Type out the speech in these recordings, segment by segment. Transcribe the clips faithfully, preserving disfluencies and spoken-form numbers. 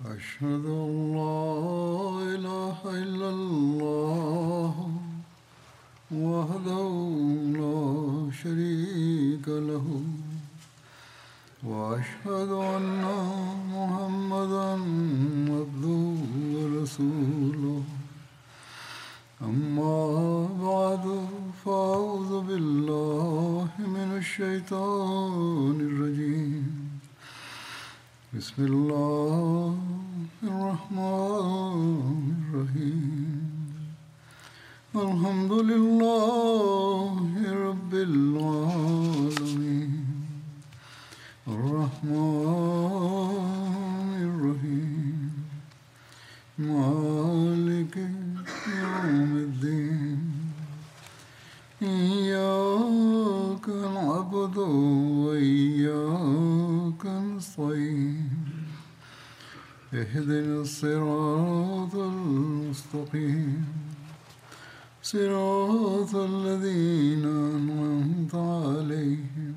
أشهد أن لا إله إلا الله وحده لا شريك له وأشهد أن محمدا عبده ورسوله أما بعد فأعوذ بالله من الشيطان الرجيم بسم الله الرحمن الرحيم الحمد لله رب العالمين الرحمن الرحيم مالك يوم الدين إياك نعبد وإياك نستعين اهدنا الصراط المستقيم صراط الذين أنعمت عليهم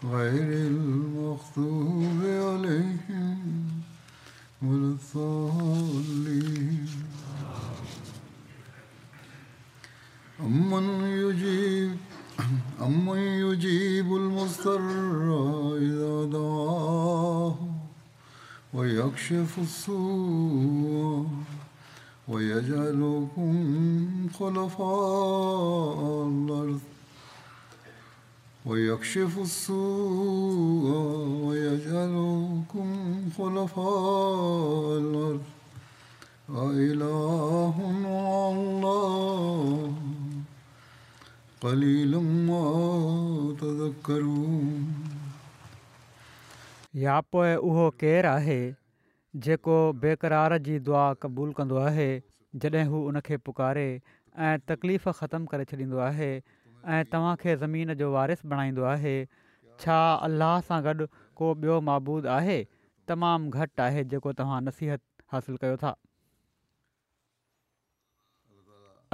غير المغضوب عليهم ولا الضالين أمن يجيب أمن يجيب المضطر إذا دعاه ويكشف السوء ويجعلكم خلفاء الأرض ويكشف السوء ويجعلكم خلفاء الأرض أإله مع الله قليلا ما تذكرون. يا پوءِ اهو ڪير آهي جيڪو بيقرار جي دعا قبول ڪندو آهي جڏهن هو ان کي پڪاري ۽ تڪليف ختم ڪري ڇڏيندو آهي ۽ توهان کي زمين جو وارث بڻائيندو آهي؟ ڇا الله سان گڏ ڪو ٻيو معبود آهي؟ تمام گهٽ آهي جيڪو توهان نصيحت حاصل ڪيو ٿا.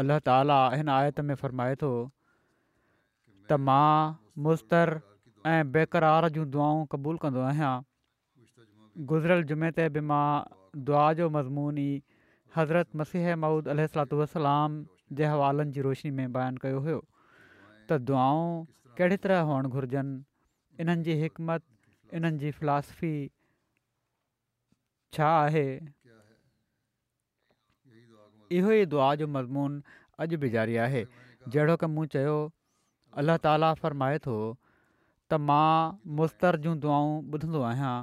الله تعاليٰ هن آيت ۾ فرمائي ٿو ته مان مضطر ۽ بيقرار جون دعائون قبول ڪندو آهيان. گذريل جمعي تي به مان دعا جو مضمون ئي حضرت مسيح موعود عليه الصلوة والسلام جي حوالن جي روشني ۾ بيان ڪيو هيو ته دعائون ڪهڙي طرح هئڻ گهرجن، انهن جي حڪمت، انهن جي فلاسفي ڇا آهي. اهو ئي دعا جو مضمون اڄ به جاري آهي. جهڙوڪ مون چيو، الله تعاليٰ فرمائي ٿو ته مان مضطر جون دعائون ٻڌندو آهيان.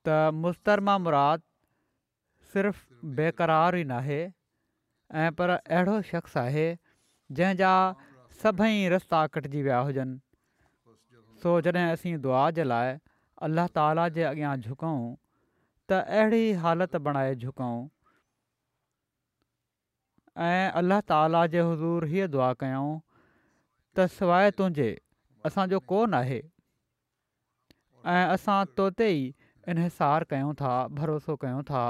ته مضطر مان مراد صرف بيقرار ئي ناهي ۽ پر اهڙو شخص آهي جنهن جا سڀئي رستا ڪٽجي ويا هجن. سو جڏهن اسين دعا جي لاءِ الله تعاليٰ جي اڳيان جهڪون ته اهڙي حالت بڻائي جهڪون ۽ الله تعاليٰ جي حضور هيءَ دعا ڪيون ته سواءِ تنهنجي اسان جو ڪو ناهي ۽ اسان تو تي ئي انحصار ڪيون ٿا، ڀروسو ڪيون ٿا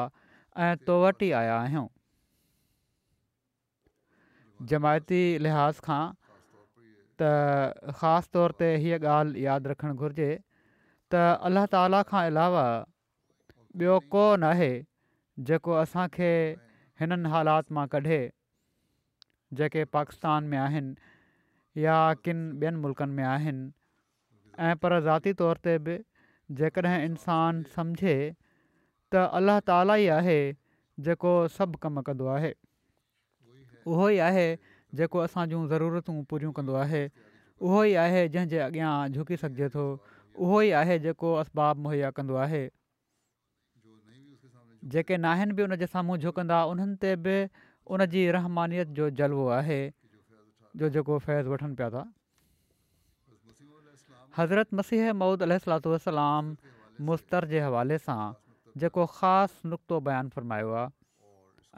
۽ تو وٽ ئي آيا آهيون. جماعتي لحاظ کان ته خاص طور تي هيءَ ڳالهه ياد رکڻ گهرجي ته الله تعاليٰ کان علاوه ٻيو ڪو ناهي جيڪو اسان کي هنن حالات مان ڪڍي جيڪي پاڪستان ۾ آهن يا ڪن ٻين ملڪن ۾ آهن. ۽ پر ذاتي طور تي به جيڪڏهن انسان سمجهي ته الله تعاليٰ ئي آهي جيڪو سڀ ڪم ڪندو آهي، اهو ئي آهي جيڪو اسان جون ضرورتون پوريون ڪندو آهي، اهو ئي آهي جنهن جي اڳيان جهڪي سگهجي ٿو، اهو ئي آهي جيڪو اسباب مهيا ڪندو آهي. جيڪي ناهن به ان جي سامهون جهڪندا انهن تي به ان جي رحمانيت جو جلوو آهي جو جيڪو فيض وٺن پيا ٿا. حضرت مسيح موعود عليه الصلوة والسلام مضطر جي حوالي سان جيڪو خاص نقطو بيان فرمايو آهي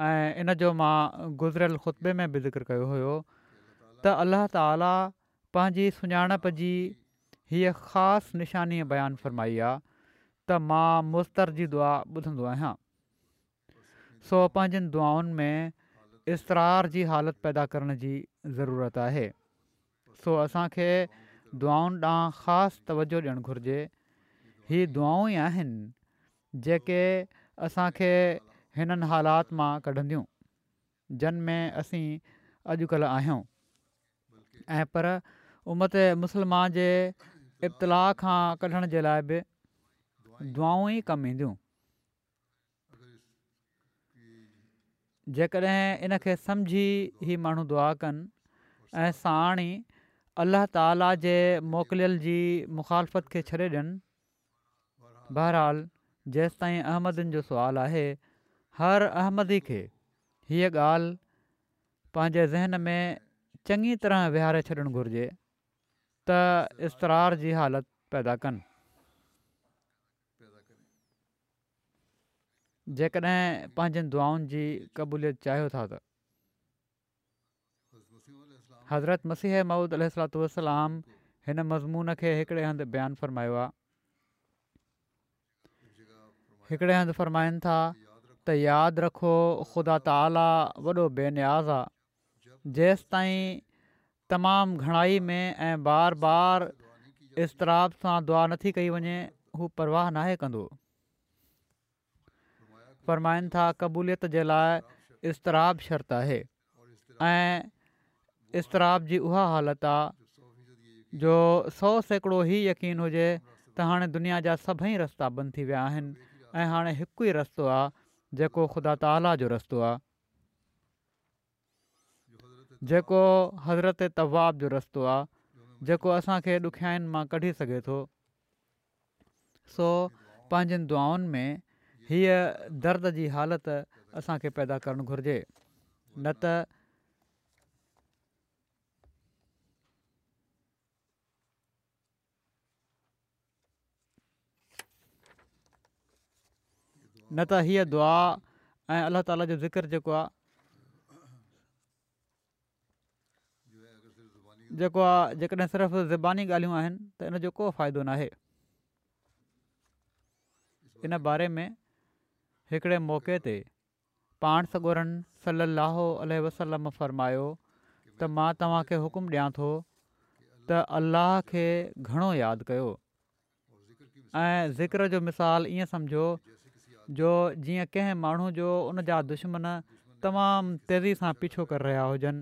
۽ ان جو مان گذريل خطبي ۾ به ذڪر ڪيو هيو ته الله تعاليٰ پنهنجي سڃاڻپ جي هيءَ خاص نشاني بيان فرمائي آهي ته مان مضطر جي دعا ٻڌندو آهيان. سو پنهنجن دعائن ۾ اضطرار جي حالت پيدا ڪرڻ جي ضرورت آهي. سو اسان کي دعائن ڏانهن خاص توجهه ڏيڻ گهرجي. هي دعائون ئي آهن جيڪي اسان کي هنن حالات مان ڪڍنديون جن ۾ اسين اڄڪلهه آهيون ۽ پر امت مسلمه جي ابتلاء کان ڪڍڻ جي لاء به دعائون ئي ڪم اينديون. جيڪڏهن ان کي سمجهي هي ماڻهو دعا ڪن ۽ ساڻ ئي الله تعالي جي موڪليل جي مخالفت کي ڇڏي ڏين. بهرحال جيستائين احمدين جو سوال آهي هر احمدي کي هيء ڳالهه پنهنجي ذهن ۾ چڱي طرح ويهاري ڇڏڻ گهرجي ته اضطرار جي حالت پيدا ڪن. جيڪڏهن پنهنجين دعائن جي قبوليت چاهيو ٿا ته. حضرت مسيح موعود عليه الصلوة والسلام هن مضمون کي هڪڙي هنڌ بيان فرمايو آهي. هڪڙي هنڌ فرمائن ٿا ته ياد رکو خدا تعاليٰ وڏو بي نياز آ، جيستائين تمام گهڻائي ۾ ۽ بار بار اضطراب سان دعا نٿي ڪئي وڃي هو پرواهه ناهي ڪندو. فرمائن ٿا قبوليت جي لاء اضطراب شرط آهي ۽ اضطراب جي اها حالت آ جو سؤ سيڪڙو هي يقين هجي ته هاڻي دنيا جا سڀئي رستا بند ٿي ويا آهن ۽ هاڻي هڪ ئي رستو آ جيڪو خدا تعاليٰ جو رستو آ جيڪو حضرت تواب جو رستو آ جيڪو اسان کي ڏکيائين مان ڪڍي سگهي ٿو. سو پنهنجين دعائن ۾ هيء درد جي حالت اسان کي پيدا ڪرڻ گهرجي نه ته نه ته هيء دعا ۽ الله تعالي جو ذڪر جيڪو آهي جيڪو آ جيڪڏهن صرف زباني ڳالهيون آهن ته ان جو ڪو فائدو ناهي. ان باري ۾ هڪڙي موقعي تي پاڻ سڳورن صلي الله عليه وسلم فرمايو ته مان توهان کي حڪم ڏيان ٿو ته الله کي گهڻو ياد ڪيو. ۽ ذڪر جو مثال ائين سمجهو جو جيئن ڪنهن ماڻهو جو ان جا دشمن تمام تيزي سان پيڇو ڪري رهيا هجن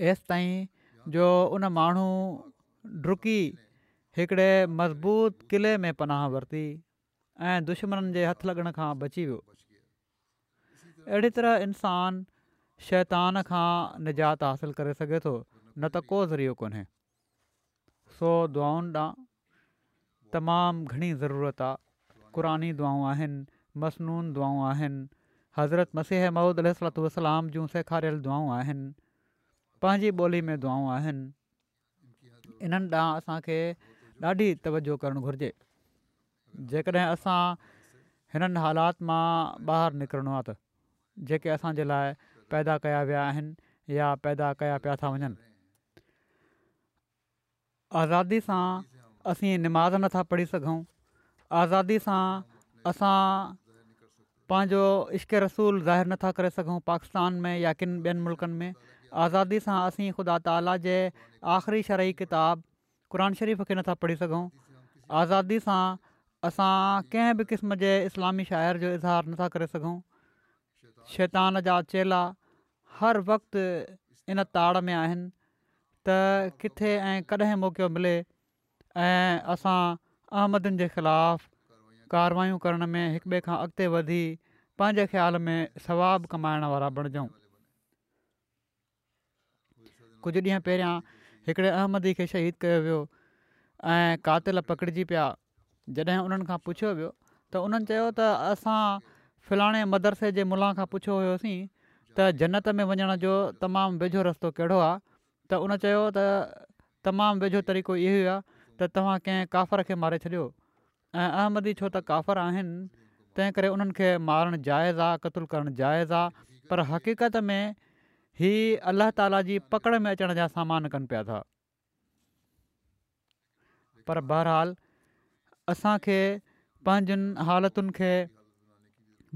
ايستائين جو ان ماڻهو ڊڪي هڪڙي مضبوط قلعي ۾ پناهه ورتي ۽ دشمنن جي هٿ لڳڻ کان بچي ويو. اهڙي طرح انسان شيطان کان نجات حاصل ڪري سگهي ٿو نه ته ڪو ذريعو ڪونهي. سو دعائن ڏانهن تمام گهڻي ضرورت آ، قرآني دعائون آهن، مسنون دعائون آهن، حضرت مسيح موعود عليه الصلوة والسلام جون سيکاريل دعائون آهن، پنهنجي ٻولي ۾ دعائون آهن، انهن ڏانهن اسان کي ڏاڍي توجهه ڪرڻ گهرجي، جيڪڏهن اسان هنن حالات مان ٻاهر نڪرڻو آ ته جيڪي اسان جي لاء پيدا ڪيا ويا آهن يا پيدا ڪيا پيا ٿا وڃن. آزادي سان اسين نماز نٿا پڙهي سگهون، آزادي سان اسان پنهنجو عشق رسول ظاهر نٿا ڪري سگهون پاڪستان ۾ يا ڪن ٻين ملڪن ۾ آزادي سان اسين خدا تعاليٰ جي آخري شرعي ڪتاب قرآن شريف کي نٿا پڙهي سگهون، آزادي سان اسان ڪنهن به قسم جي اسلامي شعائر جو اظهار نٿا ڪري سگهون، شيطان جا چيلا هر وقت ان تاڙ ۾ آهن ته ڪٿي ۽ ڪڏهن موقعو ملي ۽ اسان احمدين جي خلاف ڪاروايون ڪرڻ ۾ هڪٻئي کان اڳتي وڌي پنهنجي خيال ۾ ثواب ڪمائڻ وارا بڻجون. ڪجهه ڏينهن پهريان هڪڙي احمدي کي شهيد ڪيو ويو ۽ قاتل پڪڙجي پيا جڏهن انهن کان پڇيو ويو ته انهن چيو ته اسان فلاڻي مدرسي جي ملان کان پڇيو هيوسين ته جنت ۾ وڃڻ جو تمام ويجهو رستو ڪهڙو آهي ته ان چيو ته تمام ويجهو طريقو اهو ئي آهي ته توهان ڪنهن ڪافر کي ماري ڇڏيو ۽ احمدي ڇو ته ڪافر آهن تنهن ڪري انهن کي مارڻ جائز آهي قتل ڪرڻ جائز آهي پر حقيقت ۾ هي الله تعالي جي پڪڙ ۾ اچڻ جا سامان ڪن پيا ٿا. پر بهرحال اسان کي پنهنجن حالتن کي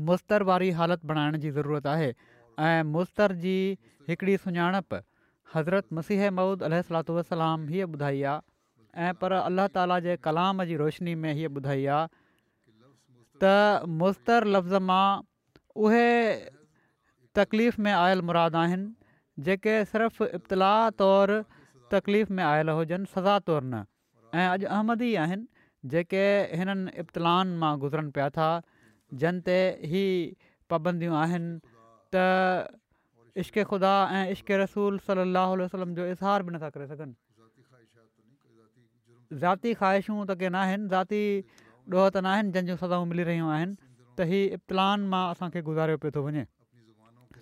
مضطر واري حالت بڻائڻ جي ضرورت آهي ۽ مضطر جي هڪڙي سڃاڻپ حضرت مسيح موعود عليه الصلوة والسلام هيء ٻڌائي آ ۽ پر الله تعاليٰ جي ڪلام جي روشني ۾ هيء ٻڌائي آ ته مضطر لفظ مان اهي تڪليف ۾ آيل مراد آهن جيڪي صرف ابتلاء طور تڪليف ۾ آيل هجن، سزا طور نه. ۽ اڄ احمدي آهن جيڪي هنن ابتلائن مان گذرن پيا ٿا جن تي هي پابنديون آهن ته عشق خدا ۽ عشق رسول صلي الله عليه وسلم جو اظهار به نٿا ڪري سگهن. ذاتي خواهشون ته ڪي ناهن، ذاتي ڏوهه ته ناهن جن جون سزائون ملي رهيون آهن ته هي ابتلائن مان اسان کي گذاريو پيو ٿو وڃي.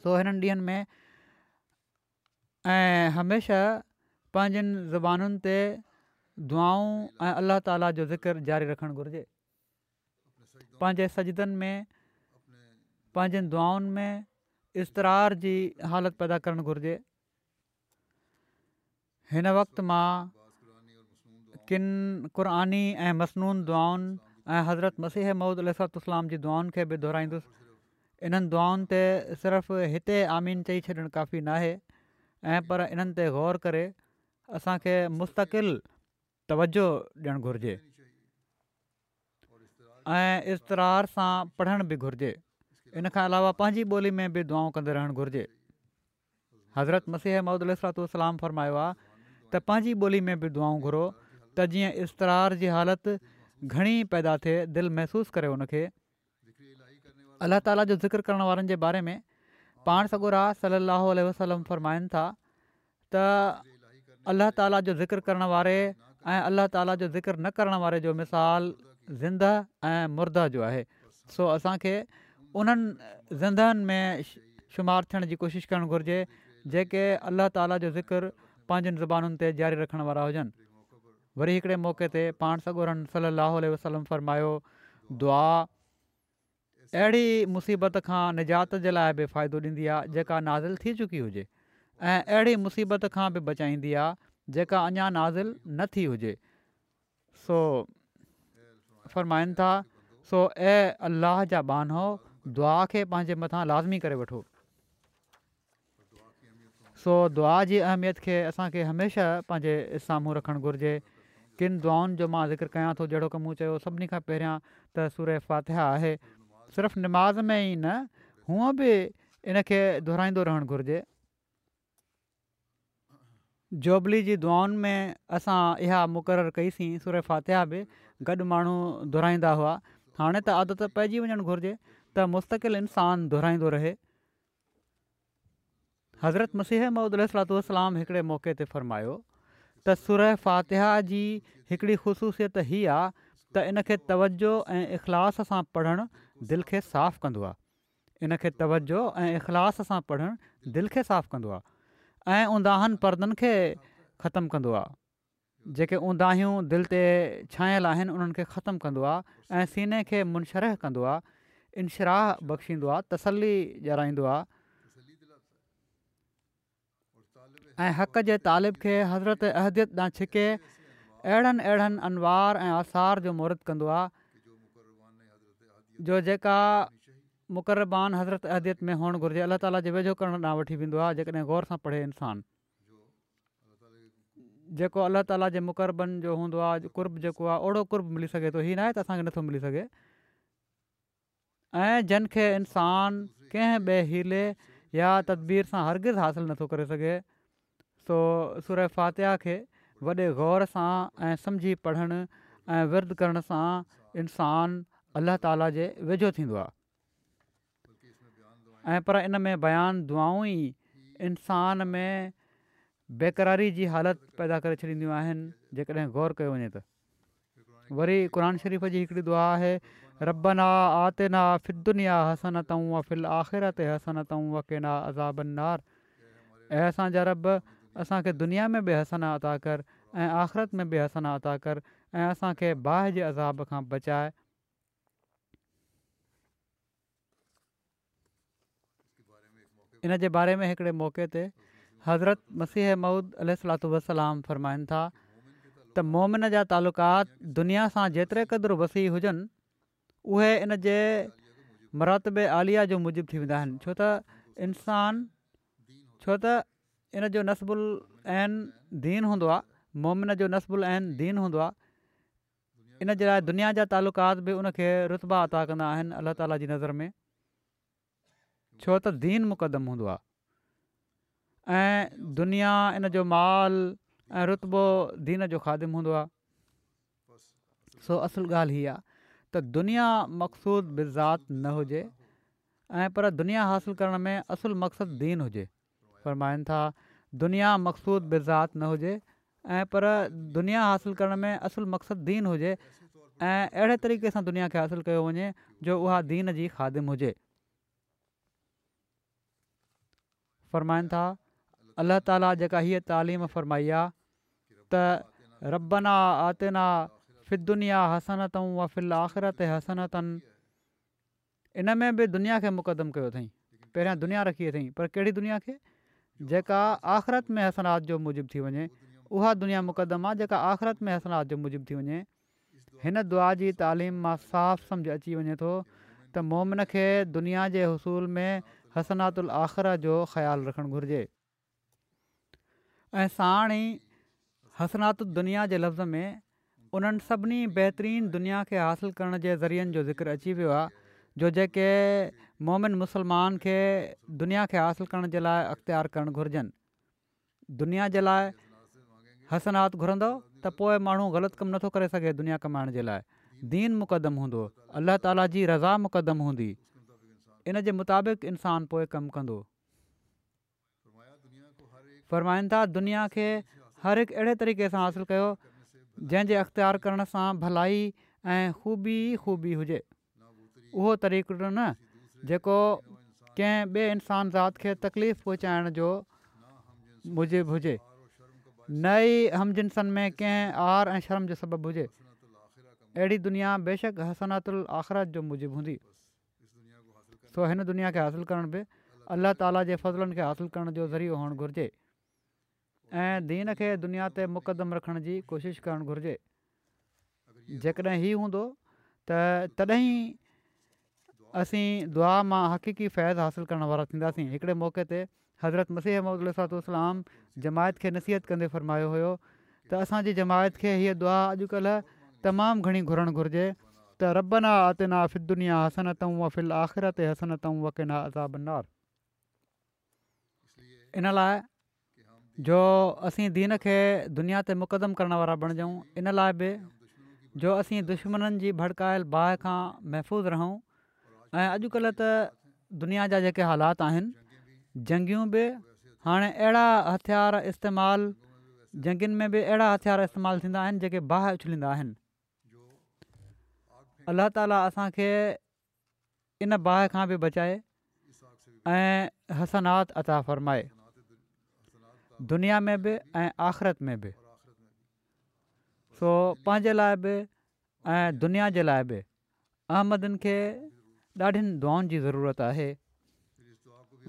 سو هنن ڏينهن ۾ ۽ هميشه پنهنجين زبانن تي دعائون ۽ الله تعالي جو ذڪر جاري رکڻ گهرجي. پنهنجي سجدن ۾ پنهنجين دعائن ۾ اضطرار جي حالت پيدا ڪرڻ گهرجي. هن وقت مان ڪن قرآني ۽ مسنون دعائن ۽ حضرت مسيح موعود عليه الصلوة والسلام جي دعائن کي به دهرائيندس. انهن دعائن تي صرف هتي آمين چئي ڇڏڻ ڪافي ناهي ۽ پر انهن تي غور ڪري اسان کي مستقل توجه ڏيڻ گهرجي ۽ اضطرار سان پڙهڻ به گهرجي. ان کان علاوه پنهنجي ٻولي ۾ به دعائون ڪندي رهڻ گهرجي. حضرت مسيح موعود عليه الصلوة والسلام فرمايو آهي ته پنهنجي ٻولي ۾ به دعائون گهرو ته جيئن اضطرار جي حالت گهڻي پيدا ٿئي، دل محسوس ڪري ان کي. الله تعالي جو ذڪر ڪرڻ وارن جي باري ۾ پاڻ سڳورا صلي الله عليه وسلم فرمائن ٿا ته الله تعالي جو ذڪر ڪرڻ واري ۽ الله تعالي جو ذڪر نه ڪرڻ واري جو مثال زنده ۽ مرده جو آهي سو اسان کي انهن زندهن ۾ شمار ٿيڻ جي ڪوشش ڪرڻ گهرجي جيڪي الله تعالي جو ذڪر پنهنجين زبانن تي جاري رکڻ وارا هجن. وري هڪڙي موقعي تي پاڻ سڳورن صلي الله عليه وسلم فرمايو دعا اهڙي مصيبت کان نجات جي لاء به فائدو ڏيندي آهي جيڪا نازل ٿي چڪي هجي ۽ اهڙي مصيبت کان به بچائيندي آهي جيڪا اڃا نازل نه ٿي هجي سو فرمائن ٿا سو اي الله جا ٻانهو دعا کي پنهنجي مٿان لازمي ڪري وٺو. سو دعا جي اهميت کي اسان کي هميشه پنهنجي سامهون رکڻ گهرجي. ڪن دعائن جو مان ذڪر ڪيان ٿو جهڙوڪ مون چيو سڀني کان پهريان ته سوره فاتحه آهي. صرف نماز ۾ ئي نه هونء به ان کي دهرائيندو رهڻ گهرجي. جوبلي جي دعائن ۾ اسان اها مقرر ڪئي سين سوره فاتحه به گڏ ماڻهو دهرائيندا هئا. هاڻي ته عادت پئجي وڃڻ گهرجي ته مستقل انسان دهرائيندو رهي. حضرت مسيح موعود عليه الصلوة والسلام هڪڙي موقعي تي فرمايو ته سوره فاتحه جي هڪڙي خصوصيت هي آ ته ان کي توجه ۽ اخلاص سان پڙهڻ دل کي صاف ڪندو آ ان کي توجه ۽ اخلاص سان پڙهڻ دل کي صاف ڪندو آ ۽ اونداهن پردن کي ختم ڪندو آ. جيڪي اونداهيون دل تي ڇانيل آهن انهن کي ختم ڪندو آهي ۽ سيني کي منشرح ڪندو آهي، انشراح بخشيندو آهي، تسلي ڏيارائيندو آهي ۽ حق جي طالب کي حضرت احديت ڏانهن ڇڪي اهڙن اهڙن انوار ۽ آثار جو مورد ڪندو آهي جو جيڪا مقربان حضرت احديت ۾ هئڻ گهرجي الله تعالي جي ويجهو ڪرڻ ڏانهن وٺي ويندو آهي جيڪڏهن غور سان پڙهي انسان. جيڪو الله تعالي جي مقربن جو هوندو آهي قرب جيڪو آهي اوڙو قرب ملي سگهي ٿو هي ناهي ته اسان کي نٿو ملي سگهي ۽ جن کي انسان ڪنهن ٻئي حيلي يا تدبير سان هرگز حاصل نٿو ڪري سگهي سو سوره فاتحه کي وڏي غور سان ۽ سمجهي پڙهڻ ۽ ورد ڪرڻ سان انسان الله تعالي جي ويجهو ٿيندو آهي. ۽ پر ان ۾ بيان دعائون ئي انسان ۾ بيقراري جي حالت پيدا ڪري ڇڏينديون آهن جيڪڏهن غور ڪيو وڃي ته وري قرآن شريف جي هڪڙي دعا آهي ربنا آتنا في الدنيا حسنة وفي الآخرة حسنة وقنا عذاب النار اي اسان جا رب اسان کي دنيا ۾ به حسنه عطا ڪر ۽ آخرت ۾ به حسنه عطا ڪر ۽ اسان کي باهه جي عذاب کان بچاء ان جي باري ۾ هڪڙي موقعي تي حضرت مسيح موعود عليه الصلوة والسلام فرمائن ٿا ته مؤمن جا تعلقات دنيا سان جيتري قدر وسيع هجن اهي ان جي مراتب عاليه جو موجب ٿي ويندا آهن ڇو ته انسان ڇو ته ان جو نصب العين دين هوندو آهي مؤمن جو نصب العين دين هوندو آهي ان جي لاءِ دنيا جا تعلقات به ان کي رتبا عطا ڪندا آهن الله تعاليٰ جي نظر ۾، ڇو ته دين مقدم هوندو آهي ۽ دنيا ان جو مال ۽ رتبو دين جو خادم هوندو آهي. سو اصل ڳالهه هي آهي ته دنيا مقصود بالذات نه هجي ۽ پر دنيا حاصل ڪرڻ ۾ اصل مقصد دين هجي. فرمائن ٿا دنيا مقصود بالذات نه هجي ۽ پر دنيا حاصل ڪرڻ ۾ اصل مقصد دين هجي ۽ اهڙي طريقي سان دنيا کي حاصل ڪيو وڃي جو اها دين جي خادم هجي. فرمائن ٿا الله تعاليٰ جيڪا هيءَ تعليم فرمائي آهي ته ربنا آتنا في الدنيا حسنة وفي الآخرة حسنة، ان ۾ به دنيا کي مقدم ڪيو اٿئين، پهريان دنيا رکي اٿئين، پر ڪهڙي دنيا کي؟ جيڪا آخرت ۾ حسنات جو موجب ٿي وڃي، اها دنيا مقدم آهي جيڪا آخرت ۾ حسنات جو موجب ٿي وڃي. هن دعا جي تعليم مان صاف سمجهه اچي وڃي ٿو ته مومن کي دنيا جي حصول ۾ حسنات الآخره جو خيال رکڻ گهرجي ۽ ساڻ ئي حسنات الدنيا جي لفظ ۾ انهن سڀني بهترين دنيا کي حاصل ڪرڻ جي ذريعن جو ذڪر اچي ويو آهي جو جيڪي مومن مسلمان کي دنيا کي حاصل ڪرڻ جي لاءِ اختيار ڪرڻ گهرجن. دنيا جي لاءِ حسنات گهرندو ته پوءِ ماڻهو غلط ڪم نٿو ڪري سگهي. دنيا ڪمائڻ جي لاءِ دين مقدم هوندو، الله تعاليٰ جي رضا مقدم هوندي، ان جي مطابق انسان پوءِ ڪم ڪندو. فرمائن ٿا دنيا کي هر هڪ اهڙي طريقي سان حاصل ڪيو جنهن جي اختيار ڪرڻ سان ڀلائي ۽ خوبي ئي خوبي هجي، اهو طريقو نه جيڪو ڪنهن ٻئي انسان ذات کي تڪليف پهچائڻ جو موجب هجي، نه ئي هم جنسن ۾ ڪنهن عار ۽ شرم جو سبب هجي. اهڙي دنيا بيشڪ حسنات الآخرت جو موجب هوندي. سو هن دنيا کي حاصل ڪرڻ به الله تعاليٰ جي فضلن کي حاصل ڪرڻ جو ذريعو هئڻ گهرجي ۽ دين کي دنيا تي مقدم رکڻ جي ڪوشش ڪرڻ گهرجي. جيڪڏهن هي هوندو ته تڏهن ئي اسين دعا مان حقيقي فيض حاصل ڪرڻ وارا ٿينداسين. هڪڙي موقعي تي حضرت مسيح موعود عليه الصلوة والسلام جماعت کي نصيحت ڪندي فرمايو هيو ته اسان جي جماعت کي هيءَ دعا اڄڪلهه تمام گهڻي گهرڻ گهرجي ته ربنا آتنا في الدنيا حسنة وفي الآخرة حسنة وقنا عذاب النار. ان لاءِ جو اسين دين کي دنيا تي مقدم ڪرڻ وارا بڻجون، ان لاءِ به جو اسين دشمنن جي ڀڙڪايل باهه کان محفوظ رهون. ۽ اڄڪلهه ته دنيا جا جيڪي حالات آهن، جنگيون به هاڻي اهڙا هٿيار استعمال جنگين ۾ به اهڙا هٿيار استعمال ٿيندا آهن جيڪي باهه اڇليندا آهن. الله تعاليٰ اسان کي ان باهه کان به بچائي ۽ حسنات عطا فرمائي، دنيا ۾ به ۽ آخرت ۾ به. سو پنهنجي لاءِ به ۽ دنيا جي لاءِ به احمدين کي ڏاڍين دعائن جي ضرورت آهي.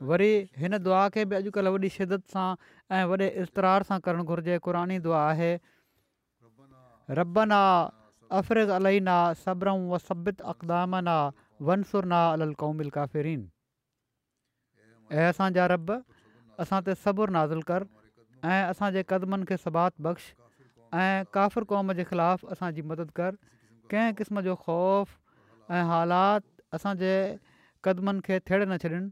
وري هن دعا کي به اڄڪلهه وڏي شدت سان ۽ وڏي اضطرار سان ڪرڻ گهرجي. قرآني دعا آهي ربنا افرغ علينا صبرا وثبت اقدامنا وانصرنا علي القوم الڪافرين. اي اسان جا رب، اسان تي صبر نازل ڪر ۽ اسان جي قدمن کي ثبات بخش ۽ ڪافر قوم جي خلاف اسان جي مدد ڪر. ڪنهن قسم جو خوف ۽ حالات اسان جي قدمن کي ٿيڙي نه ڇڏن.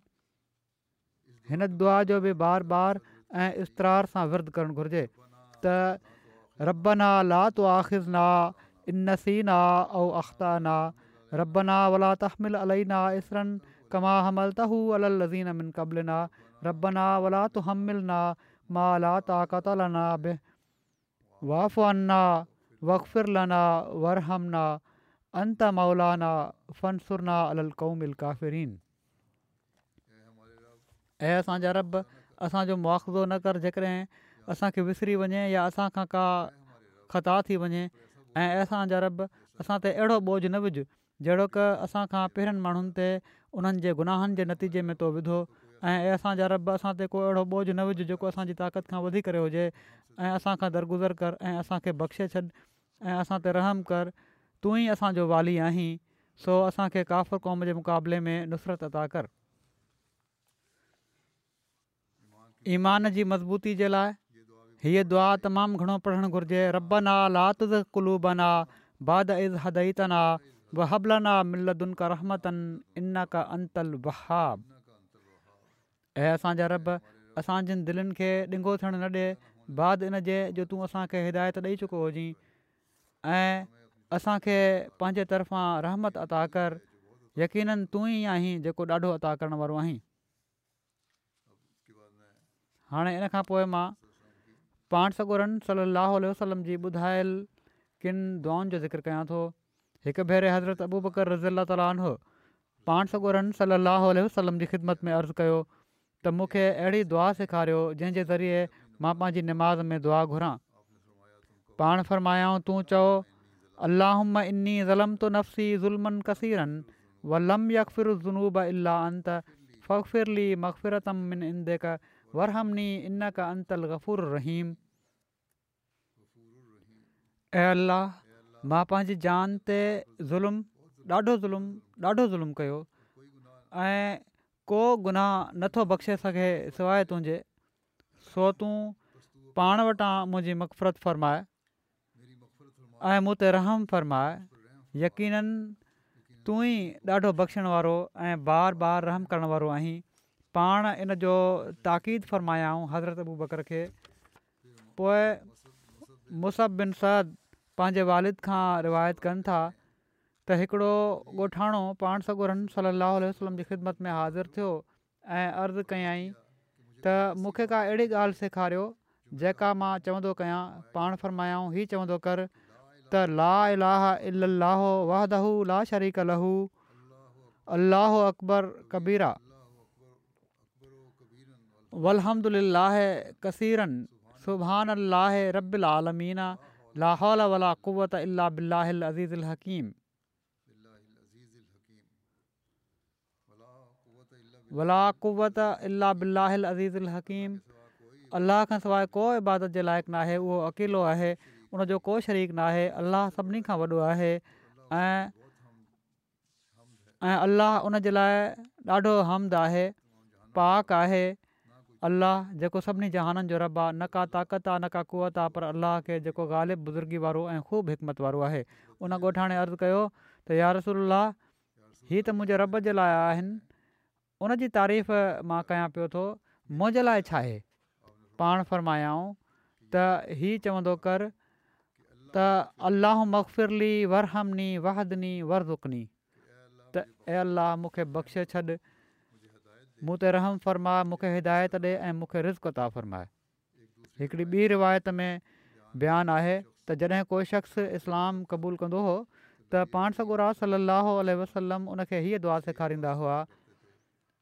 هن دعا جو به بار بار ۽ اضطرار سان ورد ڪرڻ گهرجي ته ربنا لا تؤاخذنا ان نسينا او اخطانا ربنا ولا تحمل علينا اصرا ڪما حملته علي الذين من قبلنا ربنا ولا تحملنا ما لا طاقة لنا به واعف عنا واغفر لنا وارحمنا انت مولانا فانصرنا علي القوم الڪافرين. اي اسان جا رب، اسان جو مواخذو نه ڪر جيڪڏهن اسان کي وسري وڃي يا اسان کان ڪا خطا ٿي وڃي، ۽ اي اسان جا رب، اسان تي اهڙو بوجهه نه وجهه جهڙوڪ اسان کان پهرين ماڻهن تي انهن جي گناهن جي نتيجي ۾ تو وڌو، ۽ اي اسان جا رب، اسان تي ڪو اهڙو بوجهه نه وجهه جيڪو اسان جي طاقت کان وڌي ڪري هجي، ۽ اسان کان درگذر ڪر ۽ اسان کي بخشي ڇڏ ۽ اسان تي رحم ڪر، تون ئي اسان جو والي آهين، سو اسان کي ڪافر قوم جي مقابلي ۾ نصرت عطا ڪر. ايمان جي مضبوطي جي لاءِ هيءَ دعا تمام گهڻو پڙهڻ گهرجي ربنا لا تزغ قلوبنا بعد اذ هديتنا وهب لنا من لدنڪ رحمة انڪ انت الوهاب. اي اسان جا رب، اسان جن دلين کي ڏنگو ٿيڻ نه ڏي بعد ان جي جو تون اسان کي هدايت ڏئي چڪو هجين، ۽ اسان کي پنهنجي طرفان رحمت عطا ڪر، يقيناً تون ئي آهين جيڪو ڏاڍو عطا ڪرڻ وارو آهين. هاڻي ان کان پوء مان پاڻ سڳورن صلي الله عليه وسلم جي ٻڌايل ڪن دعائن جو ذڪر ڪيان ٿو. هڪ ڀيري حضرت ابوبڪر رضي الله تعالٰي عنه پاڻ سڳورن صلي الله عليه وسلم جي خدمت ۾ عرض ڪيو ته مون کي اهڙي دعا سيکاريو جنهن جي ذريعي مان پنهنجي نماز ۾ دعا گهران. پاڻ فرمايائون تون چئو اللهم اني ظلمت نفسي ظلما ڪثيرا ولم يغفر الذنوب الا انت فاغفر لي مغفرة من عندك وارحمني انڪ انت الغفور الرحيم. اي الله، مان پنهنجي جان تي ظلم ڏاڍو ظلم ڏاڍو ظلم ڪيو ۽ ڪو گناهه نٿو بخشي سگهي سواءِ تنهنجي، سو تون پاڻ وٽان منهنجي مغفرت فرماءِ ۽ مون تي رحم فرماءِ، يقيناً تون ئي ڏاڍو بخشڻ وارو ۽ بار بار رحم ڪرڻ وارو آهين. پاڻ ان جو تاڪيد فرمايائون حضرت ابوبڪر کي. پوءِ مصعب بن سعد پنهنجي والد کان روايت ڪن ٿا ته هڪڙو ڳوٺاڻو پاڻ سڳورن صلي الله عليه وسلم جي خدمت ۾ حاضر ٿيو ۽ عرض ڪيائين ته مون کي ڪا اهڙي ڳالهه سيکاريو جيڪا مان چوندو ڪيان. پاڻ فرمايائون هي چوندو ڪر ته لا اله الا الله وحده لا شريڪ له الله اڪبر ڪبيرا والحمد لله ڪثيرا سبحان الله رب العالمين لا حول ولا قوة الا بالله العزيز الحڪيم. ولا قوة الا بالله العزيز الحڪيم. الله کان سواءِ ڪو عبادت جي لائق ناهي، اهو اڪيلو آهي، ان جو ڪو شريڪ ناهي. الله سڀني کان وڏو آهي ۽ ۽ الله ان جي لاءِ ڏاڍو حمد آهي، پاڪ آهي الله جيڪو سڀني جهانن جو رب آهي، نه ڪا طاقت آهي نه ڪا قوت آهي پر الله کي جيڪو غالب بزرگي وارو ۽ خوب حڪمت وارو آهي. ان ڳوٺاڻي عرض ڪيو ته يا رسول الله، هي ته منهنجي رب جي لاءِ آهن، ان جي تعريف مان ڪيان پيو ٿو، منهنجي لاءِ ڇا آهي؟ پاڻ فرمايائون ته هي چوندو ڪر ته اللهم اغفر لي وارحمني واهدني وارزقني، ته اي الله مون کي بخشي ڇڏ، مون تي رحم فرماءِ، مون کي هدايت ڏي ۽ مون کي رزق عطا فرماءِ. هڪڙي ٻي روايت ۾ بيان آهي ته جڏهن ڪو شخص اسلام قبول ڪندو هو ته پاڻ سڳورا صلي الله عليه وسلم ان کي هيءَ دعا سيکاريندا هئا.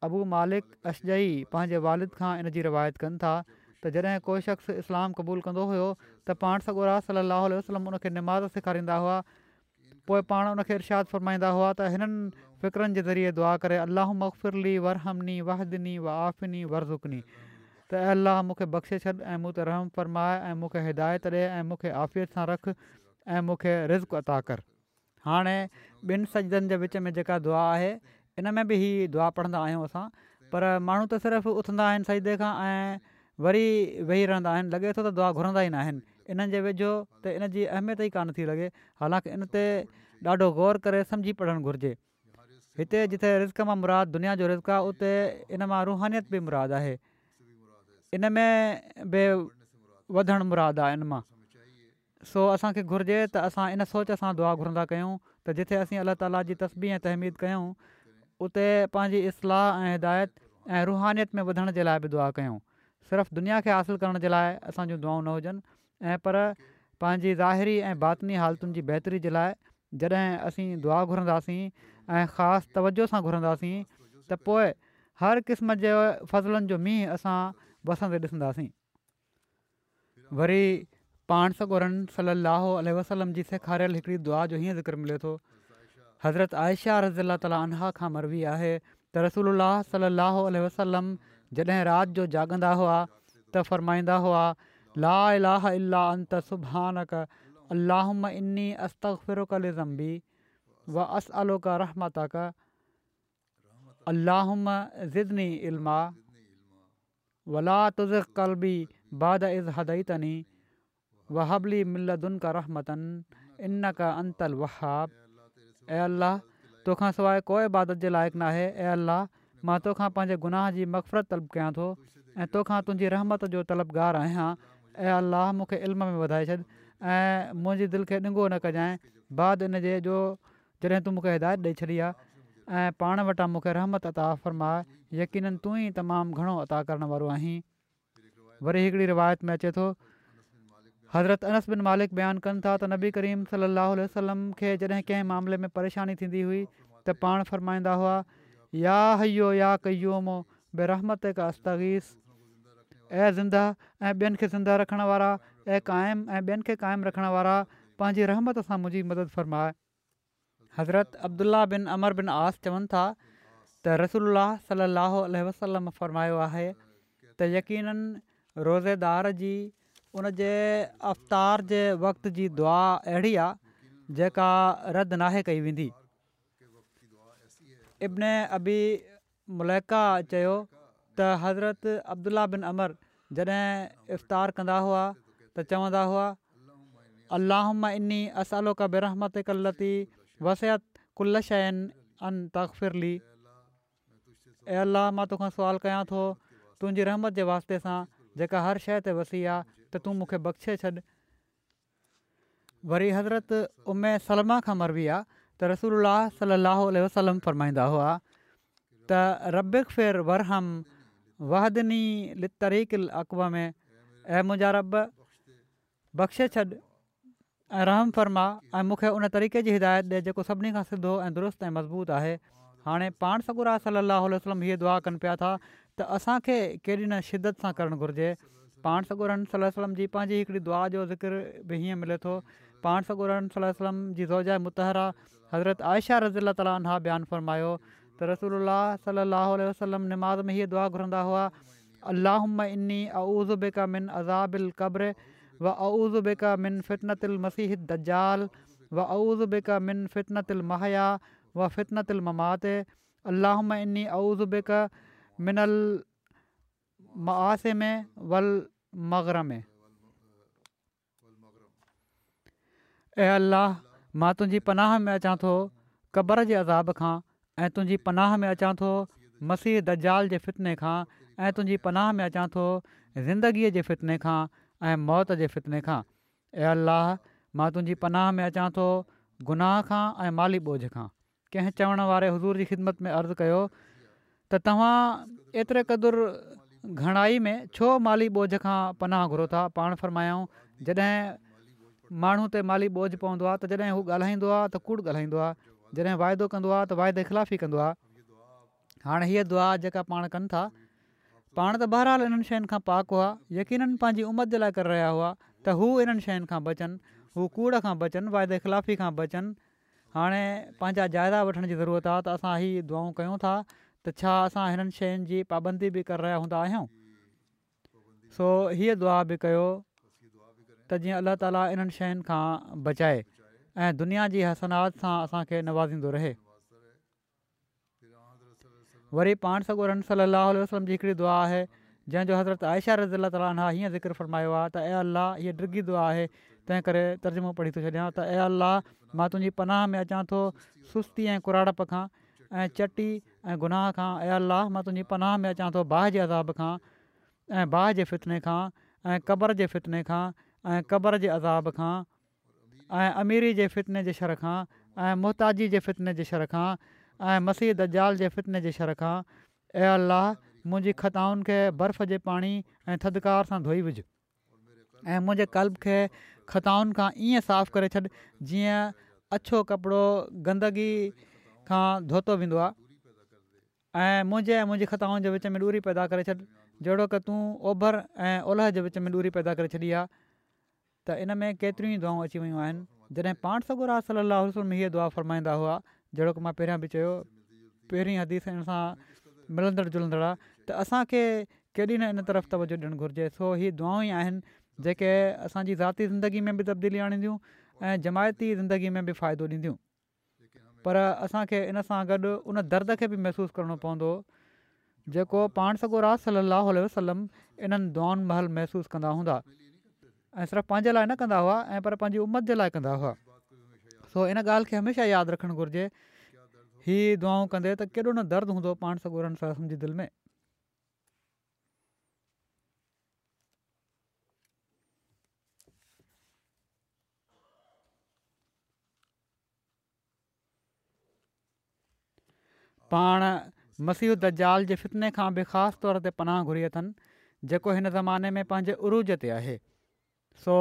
ابو مالڪ اشجعي پنهنجي والد کان ان جي روايت ڪن ٿا ته جڏهن ڪو شخص اسلام قبول ڪندو هيو ته پاڻ سڳورا صلي الله عليه وسلم ان کي نماز سيکاريندا هئا. پوءِ پاڻ ان کي ارشاد فرمائيندا هئا ته هنن فقرن جي ذريعي دعا ڪري اللهم اغفر لي وارحمني واهدني وعافني وارزقني، ته اي الله مون کي بخشي ڇڏ ۽ مون تي رحم فرماءِ ۽ مون کي هدايت ڏي ۽ مون کي عافيت سان رک ۽ مون کي رزق عطا ڪر. هاڻي ٻن سجدن جي وچ ۾ جيڪا دعا آهي ان ۾ به هي دعا پڙهندا آهيون اسان، پر ماڻهو ته صرف اٿندا آهن سجدي کان ۽ وري ويهي رهندا آهن، لڳي ٿو ته دعا گهرندا ئي نه آهن. انهن جي ويجهو ته ان جي اهميت ئي ڪانه ٿي لڳي، حالانڪه ان تي ڏاڍو غور ڪري سمجهي پڙهڻ گهرجي. هتي جتي رزق مان مراد دنيا جو رزق آهي اتي ان مان روحانيت به مراد آهي، ان ۾ به وڌڻ مراد آهي ان مان. سو اسان کي گهرجي ته اسان ان سوچ سان دعا گهرندا ڪيون ته جتي اسين الله تعاليٰ جي تسبيح ۽ تحميد ڪيون اتي پنهنجي اصلاح ۽ هدايت ۽ روحانيت ۾ وڌڻ جي لاءِ به دعا ڪيون. صرف دنيا کي حاصل ڪرڻ جي لاءِ اسان جون دعائون نه هجن ۽ پر پنهنجي ظاهري ۽ باطني حالتن جي بهتري جي لاءِ جڏهن اسين دعا گهرنداسين ۽ خاص توجه سان گهرنداسين ته پوءِ هر قسم جي فضلن جو مينهن اسان وسندي ڏسنداسين. وري پاڻ سڳورن صلي الله عليه وسلم جي سيکاريل هڪڙي دعا جو هيئن ذڪر ملي ٿو. حضرت عائشه رضي الله تعالٰي عنها کان مروي آهي ته رسول الله صلي الله عليه وسلم جڏهن رات جو جاڳندا هئا ته فرمائيندا هئا لا اله الا انت سبحانڪ اللهم اني استغفرک لذنبي واسألک رحمتک اللهم زدني علما ولا تزغ قلبي بعد اذ هديتني وهب لي من لدنک رحمة انک انت الوهاب. اي الله توکان سواءِ ڪو عبادت جي لائق ناهي. اي الله مان توکان پنهنجي گناهه جي مغفرت طلب ڪيان ٿو ۽ توکان تنهنجي رحمت جو طلبگار آهيان. اي الله مون کي علم ۾ وڌائي ڇڏ ۽ منهنجي دل کي ڏنگو نه ڪجانءِ بعد ان جي جو جڏهن تون مون کي هدايت ڏئي ڇڏي آهي ۽ پاڻ وٽان مون کي رحمت عطا فرماء، يقيناً تون ئي تمام گهڻو عطا ڪرڻ وارو آهين. وري هڪڙي روايت ۾ اچي ٿو حضرت انس بن مالڪ بيان ڪن ٿا ته نبي ڪريم صلي الله عليه وسلم کي جڏهن ڪنهن معاملي ۾ پريشاني ٿيندي هئي ته پاڻ فرمائيندا هئا يا حي يا قيوم برحمتک استغيث. اي زنده ۽ ٻين کي زنده رکڻ وارا، اي قائم ۽ ٻين کي قائم رکڻ وارا، پنهنجي رحمت سان منهنجي مدد فرماء. حضرت عبدالله بن عمرو بن عاص چون ٿا ته رسول الله صلي الله عليه وسلم فرمايو آهي ته يقيناً روزيدار جي ان جي افطار جي وقت جي دعا اهڙي آهي جيڪا رد ناهي ڪئي ويندي. ابن ابي مليڪه چيو ته حضرت عبدالله بن عمرو جڏهن افطار ڪندا هئا ته چوندا هئا اللهم اني اسألک برحمتک التي وسعت ڪل شيء ان تغفر لي. اي الله مان توکان سوال ڪيان ٿو تنهنجي رحمت جي واسطي سان جيڪا هر شيء تي وسيع آهي ته تون مون کي بخشي ڇڏ. وري حضرت ام سلمه کان مروي آهي ته رسول الله صلي الله عليه وسلم فرمائيندا هئا ته رب اغفر وارحم واهدني للطريق الاقوم. اي منهنجا رب بخشي ڇڏ ۽ رحم فرما ۽ مون کي ان طريقي جي هدايت ڏي جيڪو سڀني کان سڌو ۽ درست ۽ مضبوط آهي. هاڻي پاڻ سڳورا صلي الله عليه وسلم هيء دعا ڪن پيا ٿا ته اسان کي ڪيڏي نه شدت سان ڪرڻ گهرجي. پاڻ سڳورن صلي الله عليه وسلم جي پنهنجي هڪڙي دعا جو ذڪر به هيئن ملي ٿو. پاڻ سڳورن صلي الله عليه وسلم جي زوجه مطهره حضرت عائشه رضي الله تعالٰي عنها بيان فرمايو ته رسول الله صلي الله عليه وسلم نماز ۾ هيء دعا گهرندا هئا اللهم اني اعوذ بک من عذاب القبر واعوذ بک من فتنة المسيح الدجال واعوذ بک من فتنة المحيا وفتنة الممات اللهم اني اعوذ بک من المآثم والمغرم. اي الله مان تنهنجي پناهه ۾ اچان ٿو قبر جي عذاب کان ۽ تنهنجي پناهه ۾ اچان ٿو مسيح دجال جي فتني کان ۽ تنهنجي پناهه ۾ اچان ٿو زندگيء جي فتني کان ۽ موت جي فتني کان. اي الله مان تنهنجي پناهه ۾ اچان ٿو گناهه کان ۽ مالي ٻوجهه کان. ڪنهن چوڻ واري حضور جي خدمت ۾ عرض ڪيو ته توهان ايتري قدر گهڻائي ۾ ڇو مالي ٻوجهه کان پناهه گهرو ٿا؟ پاڻ فرمايائون جڏهن ماڻهو تي مالي ٻوجهه پوندو آهي ته جڏهن هو ڳالهائيندو آهي ته ڪوڙ ڳالهائيندو آهي، جڏهن واعدو ڪندو آهي ته واعدي خلافي ڪندو آهي. هاڻي هيء دعا جيڪا پاڻ ڪن ٿا، پاڻ ته بهرحال انهن شين کان پاڪ هئا، يقيناً پنهنجي امت جي لاءِ ڪري رهيا هئا ته هو انهن شين کان بچن، هو ڪوڙ کان بچن، واعدي خلافي کان بچن. هاڻي پنهنجا جائزا وٺڻ جي ضرورت آهي ته اسان هي دعائون ڪيون ٿا ته ڇا اسان هنن شين جي پابندي به ڪري رهيا هوندا آهيون؟ سو هيء دعا به ڪيو ته جيئن الله تعاليٰ انهن شين کان بچائي ۽ دنيا جي حسنات سان اسان کي نوازيندو رهي. وري پاڻ سڳورن صلي الله عليه وسلم جي هڪڙي دعا آهي جنهن جو حضرت عائشه رضي الله تعالٰي عنها هيئن ذڪر فرمايو آهي ته اي الله، هيء ڊگهي دعا آهي تنهن ڪري ترجمو پڙهي ٿو ڇڏيان ته اي الله مان تنهنجي پناهه ۾ اچان ٿو سستي ۽ ڪراڙپ کان ۽ چٽي ۽ گناهه کان. اي الله مان تنهنجي پناهه ۾ اچان ٿو باهه جي عذاب کان ۽ باهه جي فتني کان ۽ قبر جي فتني کان ۽ قبر جي عذاب کان ۽ اميري جي فتني جي شر کان ۽ محتاجي جي فتني جي شر کان ۽ مسيح دجال جي فتني جي شر کان. اي الله منهنجي خطائن کي برف جي پاڻي ۽ ٿڌڪار سان ڌوئي وجهه ۽ منهنجي قلب کي خطائن کان ائين صاف ڪري ڇڏ جيئن اڇو ڪپڙو گندگي کان ڌوتو ويندو آهي ۽ منهنجي ۽ منهنجي خطائن جي وچ ۾ ڏوري پيدا ڪري ڇڏ جهڙوڪ تون اوڀر ۽ اولهه جي وچ ۾ ڏوري پيدا ڪري ڇڏي آهي. ته ان ۾ ڪيتريون ئي دعائون اچي ويون آهن. جڏهن پاڻ سڳورا صلي الله عليه وسلم هيء دعا فرمائيندا هئا، جهڙوڪ مان پهريان به چيو، پهرين حديث ان سان ملندڙ جلندڙ آهي ته اسان کي ڪيڏي نه ان طرف توجه ڏيڻ گهرجي. سو هي دعائون ئي آهن جيڪي اسان جي ذاتي زندگي ۾ به تبديلي آڻينديون ۽ جماعتي زندگي ۾ به فائدو ڏينديون. پر اسان کي ان سان گڏ ان درد کي به محسوس ڪرڻو پوندو جيڪو پاڻ سڳورا صلي الله عليه وسلم انهن دعائن مهل محسوس ڪندا هوندا ۽ صرف پنهنجي لاءِ نه ڪندا هئا ۽ پر پنهنجي امت جي لاءِ ڪندا هئا. سو ان ڳالهه کي هميشه ياد رکڻ گهرجي. هي دعائون ڪندي ته ڪيڏو نه درد هوندو پاڻ سڳورن صلي الله عليه وسلم جي دل ۾. پاڻ مسيح الدجال جي فتني کان به خاص طور تي پناهه گهري اٿن، جيڪو هن زماني ۾ پنهنجي عروج تي آهي. سو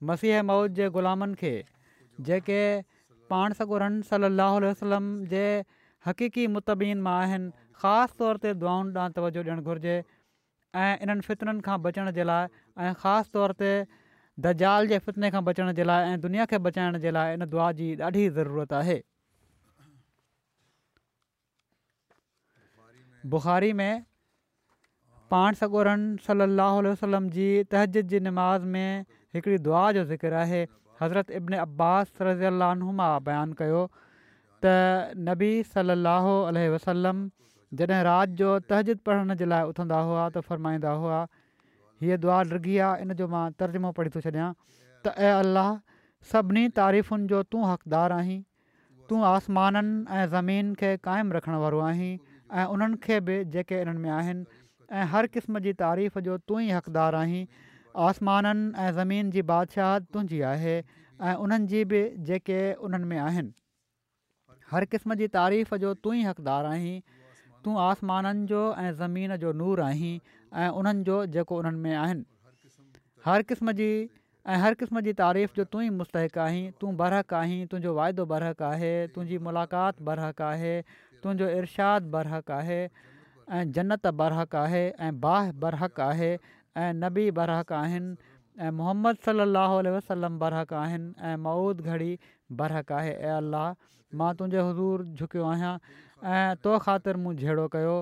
مسيح موعود جي غلامن کي، جيڪي پاڻ سڳورن صلي الله عليه وسلم جي حقيقي متبعين مان آهن، خاص طور تي دعائن ڏانهن توجهه ڏيڻ گهرجي ۽ انهن فتنن کان بچڻ جي لاء ۽ خاص طور تي دجال جي فتني کان بچڻ جي لاء ۽ دنيا کي بچائڻ جي لاء ان دعا جي ڏاڍي ضرورت آهي. بخاري ۾ پاڻ سڳورن صلي الله عليه وسلم جي تهجد جي نماز ۾ هڪڙي دعا جو ذڪر آهي. حضرت ابن عباس رضي الله عنهما بيان ڪيو ته نبي صلي الله عليه وسلم جڏهن رات جو تهجد پڙهڻ جي لاء اٿندا هئا ته فرمائيندا هئا، هيء دعا ڊگهي آهي، ان جو مان ترجمو پڙهي ٿو ڇڏيان ته اي الله، سڀني تعريفن جو تون حقدار آهين، تون آسمانن ۽ زمين کي قائم رکڻ وارو آهين ۽ انهن کي به جيڪي انهن ۾ آهن ۽ هر قسم جي تعريف جو تون ئي حقدار آهين. آسمانن ۽ زمين جي بادشاهت تنهنجي آهي ۽ انهن جي به جيڪي انهن ۾ آهن. هر قسم جي تعريف جو تون ئي حقدار آهين. تون آسمانن جو ۽ زمين جو نور آهين ۽ انهن جو جيڪو انهن ۾ آهن. هر قسم جي ۽ هر قسم جي تعريف جو تون ئي مستحق آهين، تون برحق آهين، تنهنجو وعدو برحق آهي، تنهنجي ملاقات برحق آهي، تنهنجو ارشاد برحق آهي ۽ جنت برحق آهي ۽ باهه برحق آهي ۽ نبي برحق آهن ۽ محمد صلي الله عليه وسلم برحق آهن ۽ موعود گهڙي برحق آهي. اي الله! مان تنهنجي حضور جهڪيو آهيان ۽ تو خاطر مون جهيڙو ڪيو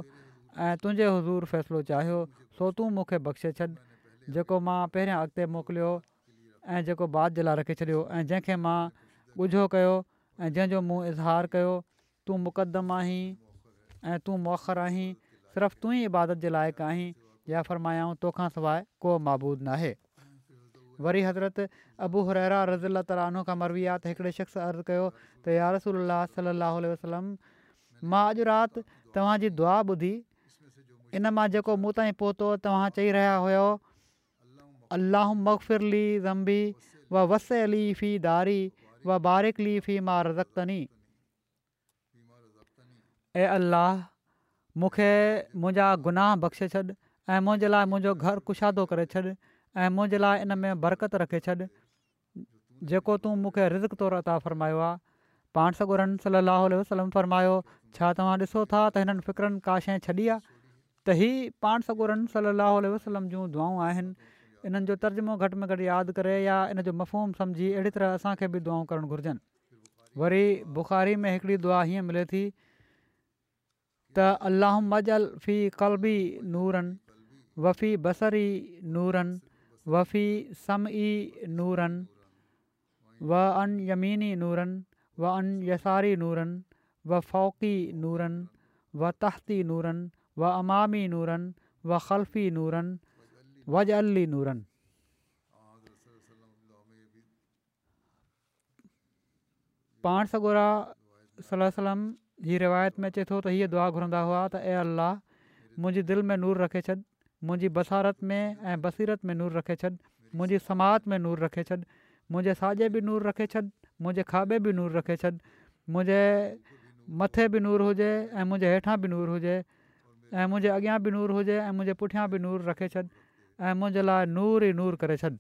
۽ تنهنجي حضور فيصلو چاهيو، سو تون مون کي بخشي ڇڏ. جيڪو مان پهريان اڳتي موڪليو ۽ جيڪو بعد جي لاء رکي ڇڏيو ۽ جنهن کي مان ڳجهو ڪيو ۽ جنهن جو مون اظهار ڪيو، تون مقدم آهين ۽ تون مؤخر آهين، صرف تون ئي عبادت جي لائق آهين يا فرمايائون توکان سواء ڪو معبود ناهي. وري حضرت ابو هريره رضي الله تعالٰي عنه کان مروي آهي ته هڪڙي شخص عرض ڪيو ته يا رسول الله صلي الله عليه وسلم مان اڄ رات توهان جي دعا ٻڌي، ان مان جيڪو مون تائين پهتو توهان چئي رهيا هيؤ اللهم اغفر لي ذنبي و وسع لي في داري و بارڪ لي في ما رزقتني اي الله مون کي منهنجا گناهه بخشي ڇڏ ۽ منهنجي لاء منهنجو گهر ڪشادو ڪري ڇڏ ۽ منهنجي لاء ان ۾ برڪت رکي ڇڏ جيڪو تون مون کي رزق طور عطا فرمايو آهي. پاڻ سڳورن صلّي اللّٰه عليه وسلّم فرمايو، ڇا توهان ڏسو ٿا ته هنن فقرن ڪا شيء ڇڏي آهي؟ ته هي پاڻ سڳورن صلّي اللّٰه عليه وسلّم جون دعائون آهن، انهن جو ترجمو گهٽ ۾ گهٽ ياد ڪري يا ان جو مفهوم سمجهي اهڙي طرح اسان کي به دعائون ڪرڻ گهرجن. وري بخاري ۾ هڪڙي دعا هيئن ملي ٿي ته اللهم اجعل في قلبي نورا وفي بصري نورا وفي سمعي نورا وعن يميني نورا وعن يساري نورا وفوقي نورا وتحتي نورا وامامي نورا وخلفي نورا واجعل لي نورا. پاڻ سڳورا صلي الله عليه وسلم هي روايت ۾ اچي ٿو ته هيء دعا گهرندا هئا ته اي الله! منهنجي دل ۾ نور رکي ڇڏ، منهنجي بصارت ۾ ۽ بصيرت ۾ نور رکي ڇڏ، منهنجي سماعت ۾ نور رکي ڇڏ، منهنجي ساڄي به نور رکي ڇڏ، منهنجي کاٻي به نور رکي ڇڏ، منهنجي مٿي به نور هجي ۽ منهنجي هيٺان به نور هجي ۽ منهنجي اڳيان به نور هجي ۽ منهنجي پٺيان به نور رکي ڇڏ ۽ منهنجي لاء نور ئي نور ڪري ڇڏ.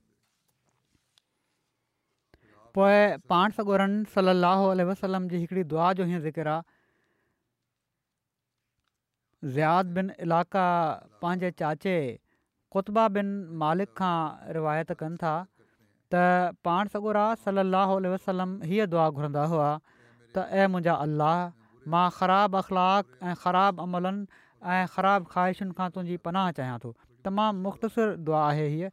پوء پاڻ سڳورن صلّي اللّٰه عليه وسلّم جي هڪڙي دعا جو هيئن ذڪر آ، زياد بن علاقه پنهنجي چاچي قطبه بن مالڪ کان روايت ڪن ٿا ته پاڻ سڳورا صلّي اللّٰه عليه وسلّم هيء دعا گهرندا هئا ته اي منهنجا الله! مان خراب اخلاق ۽ خراب عملن ۽ خراب خواهشن کان تنهنجي پناهه چاهيان ٿو. تمام مختصر دعا آهي هيء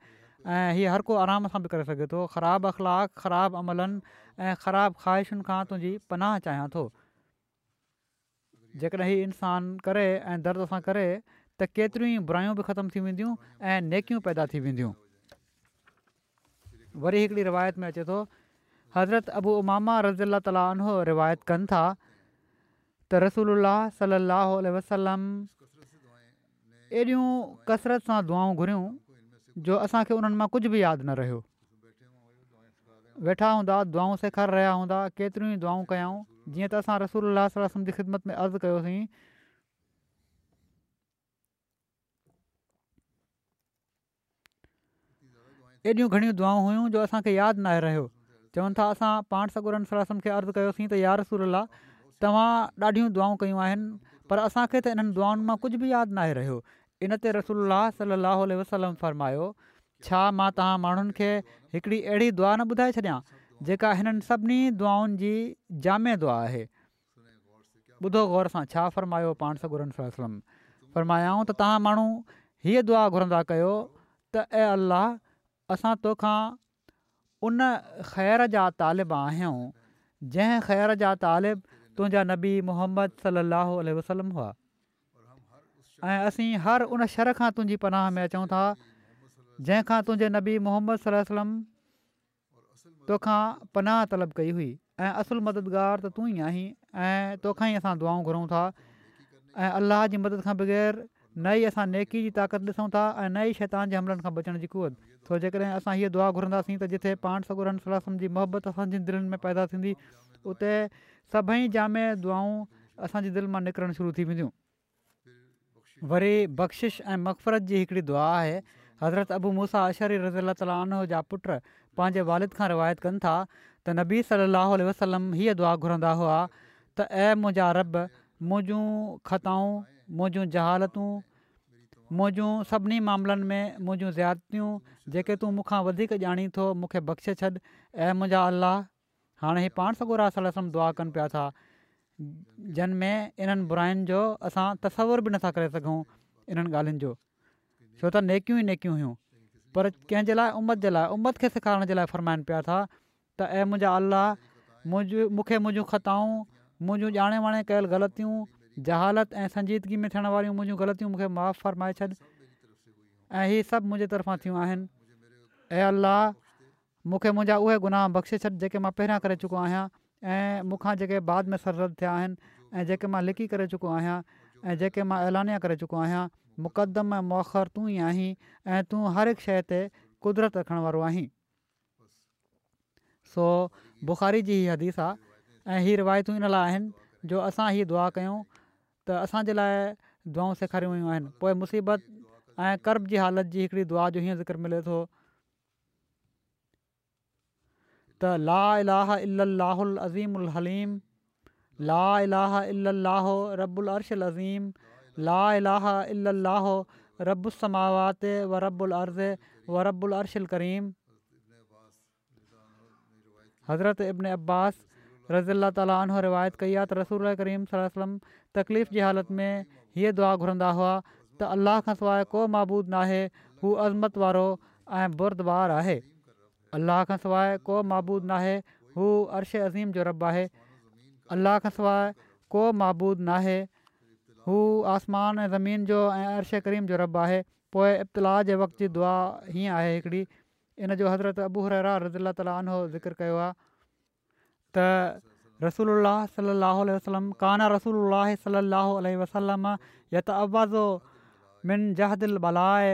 ۽ هيء هر ڪو آرام سان به ڪري سگهي ٿو، خراب اخلاق، خراب عملن ۽ خراب خواهشن کان تنهنجي پناهه چاهيان ٿو. جيڪڏهن هي انسان ڪري ۽ درد سان ڪري ته ڪيتريون ئي برايون به ختم ٿي وينديون ۽ نيڪيون پيدا ٿي وينديون. وري هڪڙي روايت ۾ اچي ٿو حضرت ابو امامه رضي الله تعالٰي عنه روايت ڪن ٿا ته رسول الله صلي الله عليه وسلم ايڏيون ڪثرت سان دعائون گهريون جو اسان کي انهن مان ڪجهه به ياد نه رهيو. ويٺا هوندا دعائون سيکاري رهيا هوندا، ڪيتريون ئي دعائون ڪيائون، جيئن ته اسان رسول الله صلي الله عليه وسلم جي خدمت ۾ عرض ڪيوسين. ايڏيون گهڻيون دعائون هيون جو اسان کي ياد ناهي رهيو. چون ٿا اسان پاڻ سڳورن صلي الله عليه وسلم کي عرض ڪيوسين ته يا رسول الله توهان ڏاڍيون دعائون ڪيون آهن پر اسان کي ته انهن دعائن مان ڪجهه به ياد ناهي رهيو. ان تي رسول الله صلي الله عليه وسلم فرمايو، ڇا مان توهان ماڻهن کي هڪڙي اهڙي دعا نه ٻڌائي ڇڏيان جيڪا هنن سڀني دعائن جي جامع دعا آهي؟ ٻڌو غور سان ڇا فرمايو پاڻ سڳورن صلي الله عليه وسلم فرمايائون ته توهان ماڻهو هيء دعا گهرندا ڪيو ته اي الله اسان توکان ان خير جا طالب آهيون جنهن خير جا طالب تنهنجا نبي محمد صلي الله عليه وسلم هئا ۽ اسين هر ان شر کان تنهنجي پناهه ۾ اچون ٿا جنهن کان تنهنجي نبي محمد صلي الله عليه وسلم توکان پناهه طلب ڪئي هئي ۽ اصل مددگار ته تون ئي آهين ۽ توکان ئي اسان دعائون گهرون ٿا ۽ الله جي مدد کان بغير نه ئي اسان نيڪي جي طاقت ڏسون ٿا ۽ نه ئي شيطان جي حملن کان بچڻ جي قوت. سو جيڪڏهن اسان هيء دعا گهرنداسين ته جتي پاڻ سڳورن صلي الله عليه وسلم جي محبت اسان جي دلين ۾ پيدا ٿيندي اتي سڀئي جامع دعائون اسان جي دل مان نڪرڻ شروع ٿي وينديون. وري بخشش ۽ مغفرت جي هڪڙي دعا آهي، حضرت ابو موسيٰ اشعري رضي الله تعالٰي عنه جا پٽ پنهنجي والد کان روايت ڪن ٿا ته نبي صلي الله عليه وسلم هيء دعا گهرندا هئا ته اي منهنجا رب منهنجون خطائون، منهنجون جهالتون، منهنجون سڀني معاملن ۾ منهنجون زيادتيون جيڪي تون مون کان وڌيڪ ڄاڻين ٿو مون کي بخشي ڇڏ، اي منهنجا الله! هاڻي هي پاڻ سڳورا صلي الله عليه وسلم دعا ڪن پيا ٿا جن ۾ انهن براين جو اسان تصور به نٿا ڪري سگهون انهن ڳالهين جو ڇو ته نيڪيون ئي نيڪيون هيون پر ڪنهن جي لاء امت جي لاء امت کي سيکارڻ جي لاء فرمائن پيا ٿا ته اي منهنجا الله منهنجون مون کي منهنجون خطائون منهنجون ڄاڻي واڻي ڪيل غلطيون جهالت ۽ سنجيدگي ۾ ٿيڻ واريون منهنجون غلطيون مون کي معاف فرمائي ڇڏ ۽ هي سڀ منهنجي طرفان ٿيون آهن اي الله مون کي منهنجا اهي گناهه بخشي ڇڏ جيڪي مان پهريان ڪري چڪو آهيان ۽ مون کان جيڪي بعد ۾ سرزد ٿيا آهن ۽ جيڪي مان لڪي ڪري چڪو آهيان ۽ جيڪي مان اعلانيه ڪري چڪو آهيان، مقدم ۽ مؤخر تون ئي آهين ۽ تون هر هڪ شيء تي قدرت رکڻ وارو آهين. سو بخاري جي هي حديث آ ۽ هي روايتون ان لاء آهن جو اسان هي دعا ڪيون ته اسان جي لاء دعائون سيکاريون ويون آهن. پوء مصيبت ۽ ڪرب جي حالت جي هڪڙي دعا جو هيئن ذڪر ملي ٿو. ته لا اله الا الله العظيم الحليم لا اله الا الله رب العرش العظيم لا اله الا الله رب السماوات و رب الارض و رب العرش الڪريم. حضرت ابن عباس رضي الله تعالٰي عنه روايت ڪئي آهي ته رسول الله ڪريم صلي الله عليه وسلم تڪليف جي حالت ۾ هيء دعا گهرندا هئا ته الله کان سواء ڪو معبود ناهي هو عظمت وارو ۽ بردبار آهي. الله کان سواء ڪو معبود ناهي هو عرش عظيم جو رب آهي. الله کان سواء ڪو معبود ناهي هو آسمان ۽ زمين جو ۽ عرش ڪريم جو رب آهي. پوء ابتلاء جي وقت جي دعا هيئن آهي هڪڙي ان جو حضرت ابو هريره رضي الله تعالٰي عنه ذڪر ڪيو آهي ته رسول الله صلي الله عليه وسلم ڪان رسول الله صلي الله عليه وسلم يتعوذ من جهد البلاء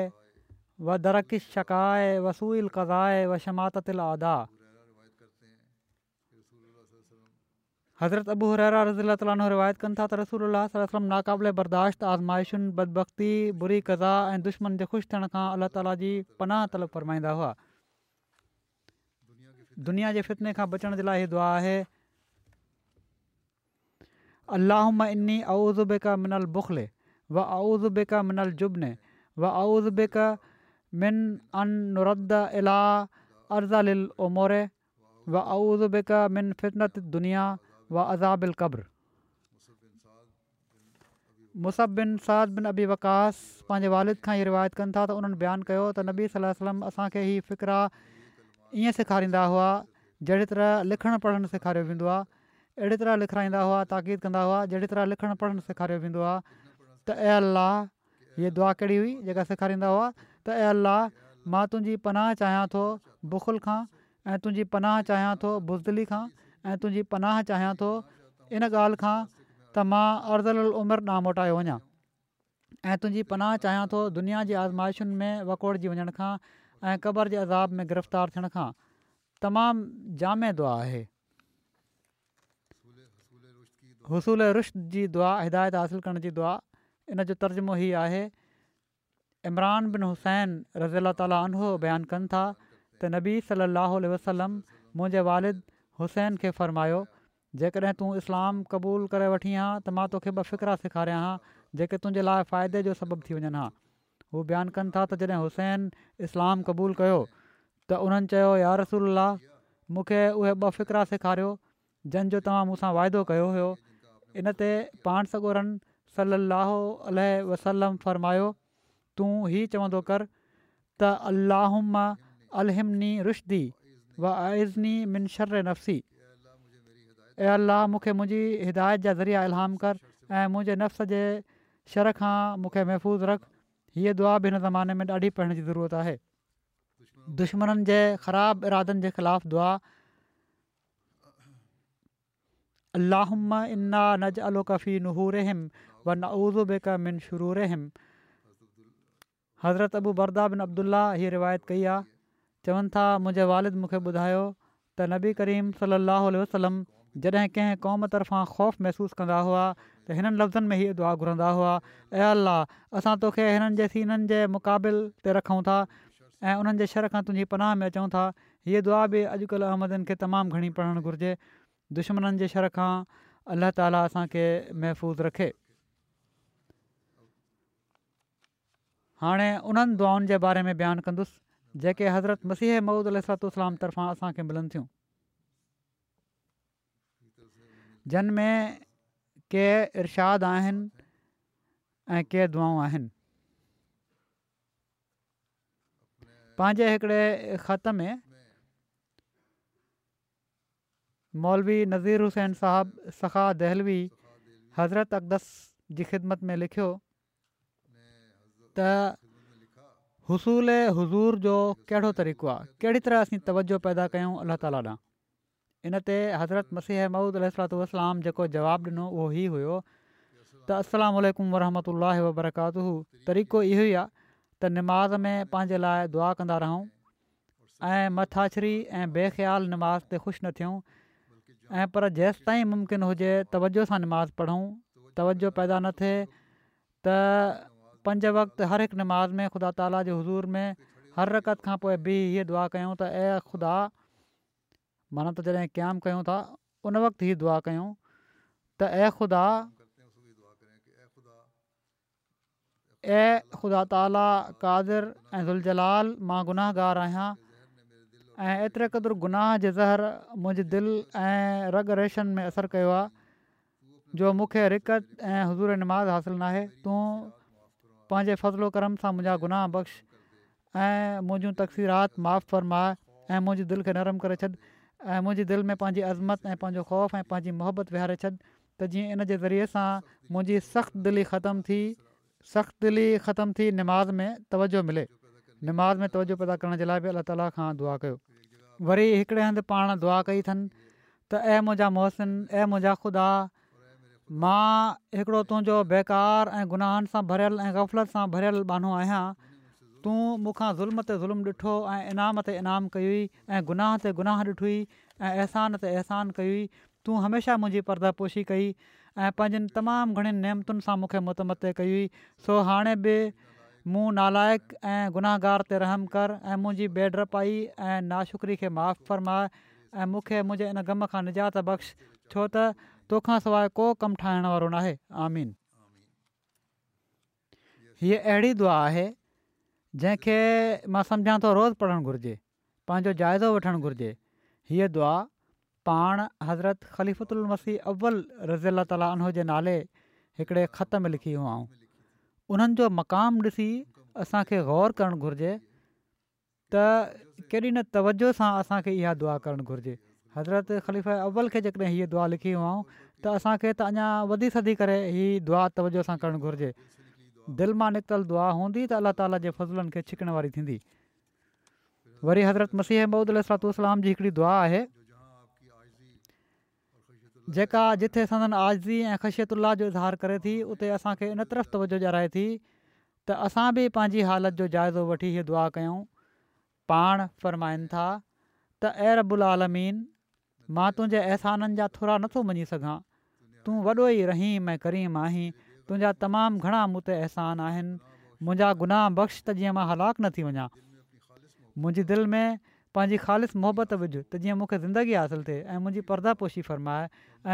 و درڪ الشقاء و سوء القضاء و شماتة الاعداء. حضرت ابو هريره رضي الله تعالٰي عنه روايت ڪن ٿا ته رسول الله صلي الله عليه وسلم ناقابل برداشت آزمائشن، بدبختي، بري قضا ۽ دشمن جي خوش ٿيڻ کان الله تعالٰي جي پناهه طلب فرمائيندا هئا. دنيا جي فتني کان بچڻ جي لاء هي دعا آهي، اللهم اني اعوذ بک من البخل و اعوذ بک من الجبن و اعوذ بک من ان نرد الي ارذل العمر و اعوذ بک من فتنة الدنيا و عذاب القبر. مصعب بن سعد بن ابي وقاص پنهنجي والد کان هي روايت ڪن ٿا ته انهن بيان ڪيو ته نبي صلي الله عليه وسلم اسان کي هي فقرا ائين سيکاريندا هئا جهڙي طرح لکڻ پڙهڻ سيکاريو ويندو آهي اهڙي طرح لکرائيندا هئا تاڪيد ڪندا هئا جهڙي طرح لکڻ پڙهڻ سيکاريو ويندو آهي ته اي الله هيء دعا ڪهڙي هئي جيڪا سيکاريندا هئا ته اي الله مان تنهنجي پناهه چاهيان ٿو بخل کان ۽ تنهنجي پناهه چاهيان ٿو بزدلي کان ۽ تنهنجي پناهه چاهيان ٿو ان ڳالهه کان ته مان ارذل العمر ڏانهن موٽايو وڃان ۽ تنهنجي پناهه چاهيان ٿو دنيا جي آزمائشن ۾ وڪوڙجي وڃڻ کان ۽ قبر جي عذاب ۾ گرفتار ٿيڻ کان. تمام جامع دعا آهي. حصول رشد جي دعا، هدايت حاصل ڪرڻ جي دعا، ان جو ترجمو هي آهي، عمران بن حصين رضي الله تعالٰي عنه بيان ڪن ٿا ته نبي صلي الله عليه وسلم منهنجي والد حصين کي فرمايو، جيڪڏهن تون اسلام قبول ڪري وٺين ها ته مان توکي ٻه فقرا سيکاريان ها جيڪي تنهنجي لاء فائدي جو سبب ٿي وڃن ها. هو بيان ڪن ٿا ته جڏهن حصين اسلام قبول ڪيو ته انهن چيو يا رسول الله مون کي اهي ٻه فقرا سيکاريو جن جو توهان مون سان واعدو ڪيو هيو. ان تي پاڻ سڳورن صلّي اللّٰه عليه وسلّم فرمايو تون هي چوندو ڪر ته اللّٰهم الهمني رشدي واعذني من شر نفسي اي الله مون کي منهنجي هدايت جا ذريعا الهام ڪر ۽ منهنجي نفس جي شر کان مون کي محفوظ رک. هيء دعا به هن زماني ۾ ڏاڍي پڙهڻ جي ضرورت آهي. دشمنن جي خراب ارادن جي خلاف دعا، اللهم انا نجعلک في نحورهم ونعوذ بک من شرورهم. حضرت ابو برده بن عبدالله هيء روايت ڪئي آهي، چون ٿا منهنجي والد مون کي ٻڌايو ته نبي ڪريم صلي الله عليه وسلم جڏهن ڪنهن قوم طرفان خوف محسوس ڪندا هئا ته هنن لفظن ۾ هيء دعا گهرندا هئا، اي الله! اسان توکي هنن جي سينن جي مقابل تي رکون ٿا ۽ انهن جي شر کان تنهنجي پناهه ۾ اچون ٿا. هيء دعا به اڄڪلهه احمدين کي تمام گهڻي پڙهڻ گهرجي. دشمنن جي شر کان الله تعالي اسان کي محفوظ رکي. هاڻي انهن دعائن جي باري ۾ بيان ڪندس جيڪي حضرت مسيح موعود عليه الصلوة والسلام طرفان اسان کي ملن ٿيون. جن ۾ ڪي ارشاد آهن ۽ ڪي دعائون آهن. پنهنجي هڪڙي خط ۾ مولوي نذير حسين صاحب سخا دهلوي حضرت اقدس جي خدمت ۾ لکيو ته حصول حضور جو ڪهڙو طريقو آهي، ڪهڙي طرح اسين توجه پيدا ڪيون الله تعالي ڏانهن؟ ان تي حضرت مسيح موعود عليه الصلوة والسلام جيڪو جواب ڏنو اهو هي هيو ته السلام عليڪم ورحمة الله وبرڪاته طريقو اهو ئي آهي ته نماز ۾ پنهنجي لاء دعا ڪندا رهون ۽ مٿاڇري ۽ بي خيال نماز تي خوش نه ٿيون ۽ پر جيستائين ممڪن هجي توجه سان نماز پڙهون توجه پيدا نه ٿئي ته پنج وقت هر هڪ نماز ۾ خدا تعاليٰ جي حضور ۾ هر رڪعت کان پوء بيهي هيء دعا ڪيون ته اي خدا معنيٰ ته جڏهن قيام ڪيون ٿا ان وقت هي دعا ڪيون ته اي خدا اي خدا تعاليٰ قادر ۽ ذوالجلال مان گناهگار آهيان ۽ ايتري قدر گناهه جي زهر منهنجي دل ۽ رڳ ريشن ۾ اثر ڪيو آهي جو مون کي رقت ۽ حضور نماز حاصل ناهي تون پنهنجي فضل و ڪرم سان منهنجا گناهه بخش ۽ منهنجون تقصيرات معاف فرماء ۽ منهنجي دل کي نرم ڪري ڇڏ ۽ منهنجي دل ۾ پنهنجي عظمت ۽ پنهنجو خوف ۽ پنهنجي محبت ويهاري ڇڏ ته جيئن ان جي ذريعي سان منهنجي سخت دلي ختم ٿي سخت دلي ختم ٿي نماز ۾ توجه ملي. نماز ۾ توجه پيدا ڪرڻ جي لاء به الله تعالي کان دعا ڪيو. وري هڪڙي هنڌ پاڻ دعا ڪئي اٿن ته اي منهنجا محسن اي منهنجا خدا مان هڪڙو تنهنجو بيڪار ۽ گناهن سان ڀريل ۽ غفلت سان ڀريل ٻانهو آهيان تون مون کان ظلم تي ظلم ڏٺو ۽ انعام تي انعام ڪيوئي ۽ گناهه تي گناهه ڏٺوئي ۽ احسان تي احسان ڪيوئي تون هميشه منهنجي پرده پوشي ڪئي ۽ پنهنجين تمام گهڻين نعمتن سان مون کي متمتع ڪيوئي، سو هاڻي به مون نالائق ۽ گنهگار تي رحم ڪر ۽ منهنجي بي ڊپائي ۽ ناشڪري کي معاف فرماء ۽ مون کي منهنجي ان غم کان نجات بخش، ڇو ته تو کان سواء ڪو ڪم ٺاهڻ وارو ناهي. آمين. هيء اهڙي دعا آهي، جنهن کي مان سمجهان ٿو روز پڙهڻ گهرجي. پنهنجو جائزو وٺڻ گهرجي. هيء دعا پاڻ حضرت خليفة المسيح اول رضي الله تعالٰي عنه جي نالي هڪڙي خط ۾ لکي هئائون. انهن جو مقام ڏسي اسان کي غور ڪرڻ گهرجي ته ڪيڏي نه توجه سان اسان کي اها دعا ڪرڻ گهرجي. حضرت خليفه اول کي جيڪڏهن هيء دعا لکي هئائون ته اسان کي ته اڃا وڌي سڌي ڪري هي دعا توجه سان ڪرڻ گهرجي. دل مان نڪتل دعا هوندي ته الله تعالٰي جي فضلن کي ڇڪڻ واري ٿيندي. وري حضرت مسيح موعود عليه الصلوة والسلام جي هڪڙي دعا آهي جيڪا جتي سندن عاجزي ۽ خشيت الله جو اظهار ڪري ٿي، اتي اسان کي ان طرف توجه ڏيارائي ٿي ته اسان به پنهنجي حالت جو جائزو وٺي هيء دعا ڪيون. پاڻ فرمائن ٿا ته اي رب العالمين! مان تنهنجي احسانن جا ٿورا نٿو مڃي سگهان، تون وڏو ئي رحيم ۽ ڪريم آهين، تنهنجا تمام گهڻا مون تي احسان آهن، منهنجا گناهه بخش ته جيئن مان هلاڪ نه ٿي وڃان. منهنجي دل ۾ پنهنجي خالص محبت وجهه ته جيئن مون کي زندگي حاصل ٿئي ۽ منهنجي پرده پوشي فرماء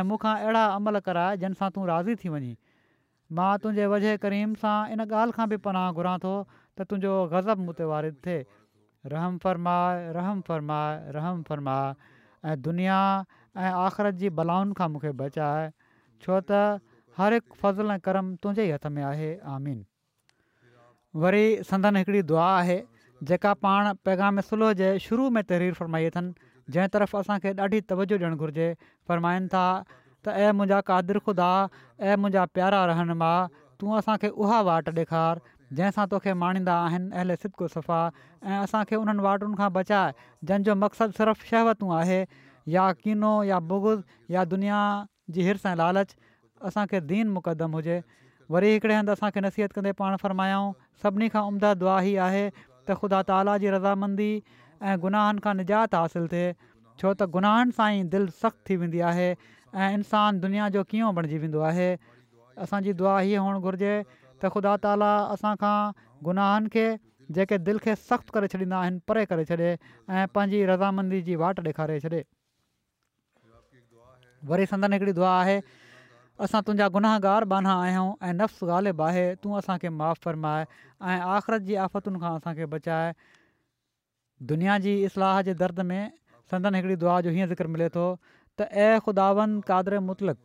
۽ مون کان اهڙا عمل ڪراء جن سان تون راضي ٿي وڃين. مان تنهنجي وجه ڪريم سان ان ڳالهه کان به پناهه گهران ٿو ته تنهنجو غضب مون تي وارد ٿئي. رحم فرماء، رحم فرماء، رحم فرماء ۽ دنيا ۽ آخرت جي بلائن کان مون کي بچاء، ڇو ته هر هڪ فضل ۽ ڪرم تنهنجي ئي هٿ ۾ آهي. آمين. وري سندن هڪڙي دعا آهي جيڪا پاڻ پيغام صلح جي شروع ۾ تحرير فرمائي اٿن جنهن طرف اسان کي ڏاڍي توجه ڏيڻ گهرجي فرمائن ٿا ته اي منهنجا قادر خدا اي منهنجا پيارا رهنما تون اسان کي اها واٽ ڏيکار جنهن سان توکي ماڻيندا آهن اهل صدق و صفا ۽ اسان کي انهن واٽن کان بچاء جن جو مقصد صرف شهوتون آهي يا ڪينو يا بغض يا دنيا جي حرص ۽ لالچ اسان کي دين مقدم هجي. وري هڪڙي هنڌ اسان کي نصيحت ڪندي پاڻ فرمايائون، سڀني کان عمده دعا هي آهي ته خدا تعاليٰ جي رضامندي ۽ گناهن کان نجات حاصل ٿئي، ڇو ته گناهن سان ئي دل سخت ٿي ويندي آهي ۽ انسان دنيا جو ڪينئون بڻجي ويندو آهي. اسان جي دعا هيء هئڻ گهرجي ته خدا تعاليٰ اسان کان گناهن کي جيڪي دل کي سخت ڪري ڇڏيندا آهن پري ڪري ڇڏي ۽ پنهنجي رضامندي جي واٽ ڏيکاري ڇڏي. وري سندن هڪڙي دعا آهي، اسان تنهنجا گنهگار ٻانها آهيون ۽ نفس غالب آهي، تون اسان کي معاف فرماء ۽ آخرت جي آفتن کان اسان کي بچاء. دنيا جي اصلاح جي درد ۾ سندن هڪڙي دعا جو هيئن ذڪر ملي ٿو ته اي خداوند قادر مطلق!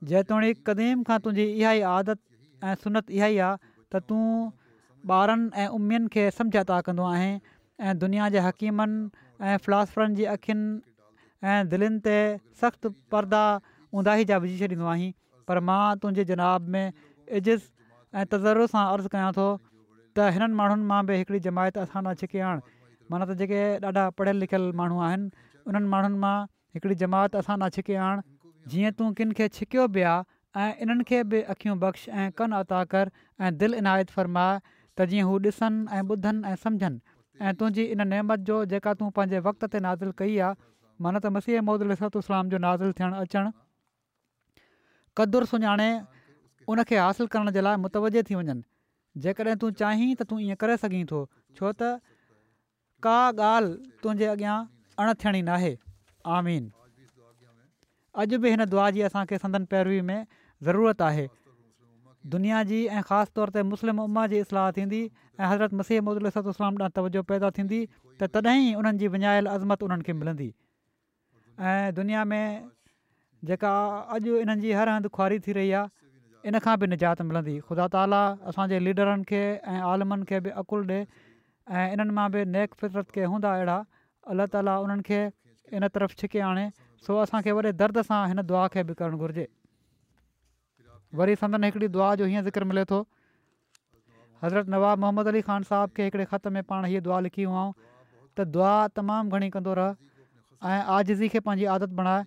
جيتوڻيڪ قديم کان تنهنجي اها ئي عادت ۽ سنت اها ئي آ ته تون ٻارن ۽ امين کي سمجهه عطا ڪندو آهين ۽ دنيا جي حڪيمن ۽ فلاسفرن جي اکين ۽ دلين تي سخت پردا اونداهي جا وجهي ڇڏيندو آهين پر مان تنهنجي جناب ۾ عجز ۽ تضرع سان عرض ڪيان ٿو ته هنن ماڻهن مان به هڪڙي جماعت اسان ڏانهن ڇڪي آڻ معنيٰ ته جيڪي ڏاڍا پڙهيل لکيل ماڻهو آهن انهن ماڻهن مان هڪڙي جماعت اسان ڏانهن ڇڪي آڻ، جيئن تون ڪن کي ڇڪيو به آ ۽ انهن کي به اکيون بخش ۽ ڪن عطا ڪر ۽ دل عنايت فرماء ته جيئن هو ڏسن ۽ ٻڌن ۽ سمجهن ۽ تنهنجي ان نعمت جو جيڪا تون پنهنجي وقت تي نازل ڪئي آ معنيٰ ته مسيح موعود عليه الصلوة والسلام جو نازل ٿيڻ اچڻ قدر سڃاڻي ان کي حاصل ڪرڻ جي لاء متوجه ٿي وڃن جيڪڏهن تون چاهين ته تون ائين ڪري سگهين ٿو ڇو ته ڪا ڳالهه تنهنجي اڳيان اڻ ٿيڻي ناهي. آمين. اڄ به هن دعا جي اسان کي سندن پيروي ۾ ضرورت آهي. دنيا جي ۽ خاص طور تي مسلم امه جي اصلاح ٿيندي ۽ حضرت مسيح موعود عليه الصلوة والسلام ڏانهن توجه پيدا ٿيندي ته تڏهن ئي انهن جي وڃايل عظمت انهن کي ملندي. ۽ دنيا ۾ جيڪا اڄ انهن جي هر هنڌ خواري ٿي رهي آهي ان کان به نجات ملندي خدا تعالي اسان جي ليڊرن کي ۽ عالمن کي به عقل ڏي ۽ انهن مان به نيڪ فطرت ڪي هوندا اهڙا الله تعالي انهن کي ان طرف ڇڪي آڻي سو اسان کي وڏي درد سان هن دعا کي به ڪرڻ گهرجي. وري سندن هڪڙي دعا جو هيئن ذڪر ملي ٿو. حضرت نواب محمد علي خان صاحب کي هڪڙي خط ۾ پاڻ هيء دعا لکي هئائون ته دعا تمام گهڻي ڪندو رهه ۽ عاجزي کي پنهنجي عادت بڻاء.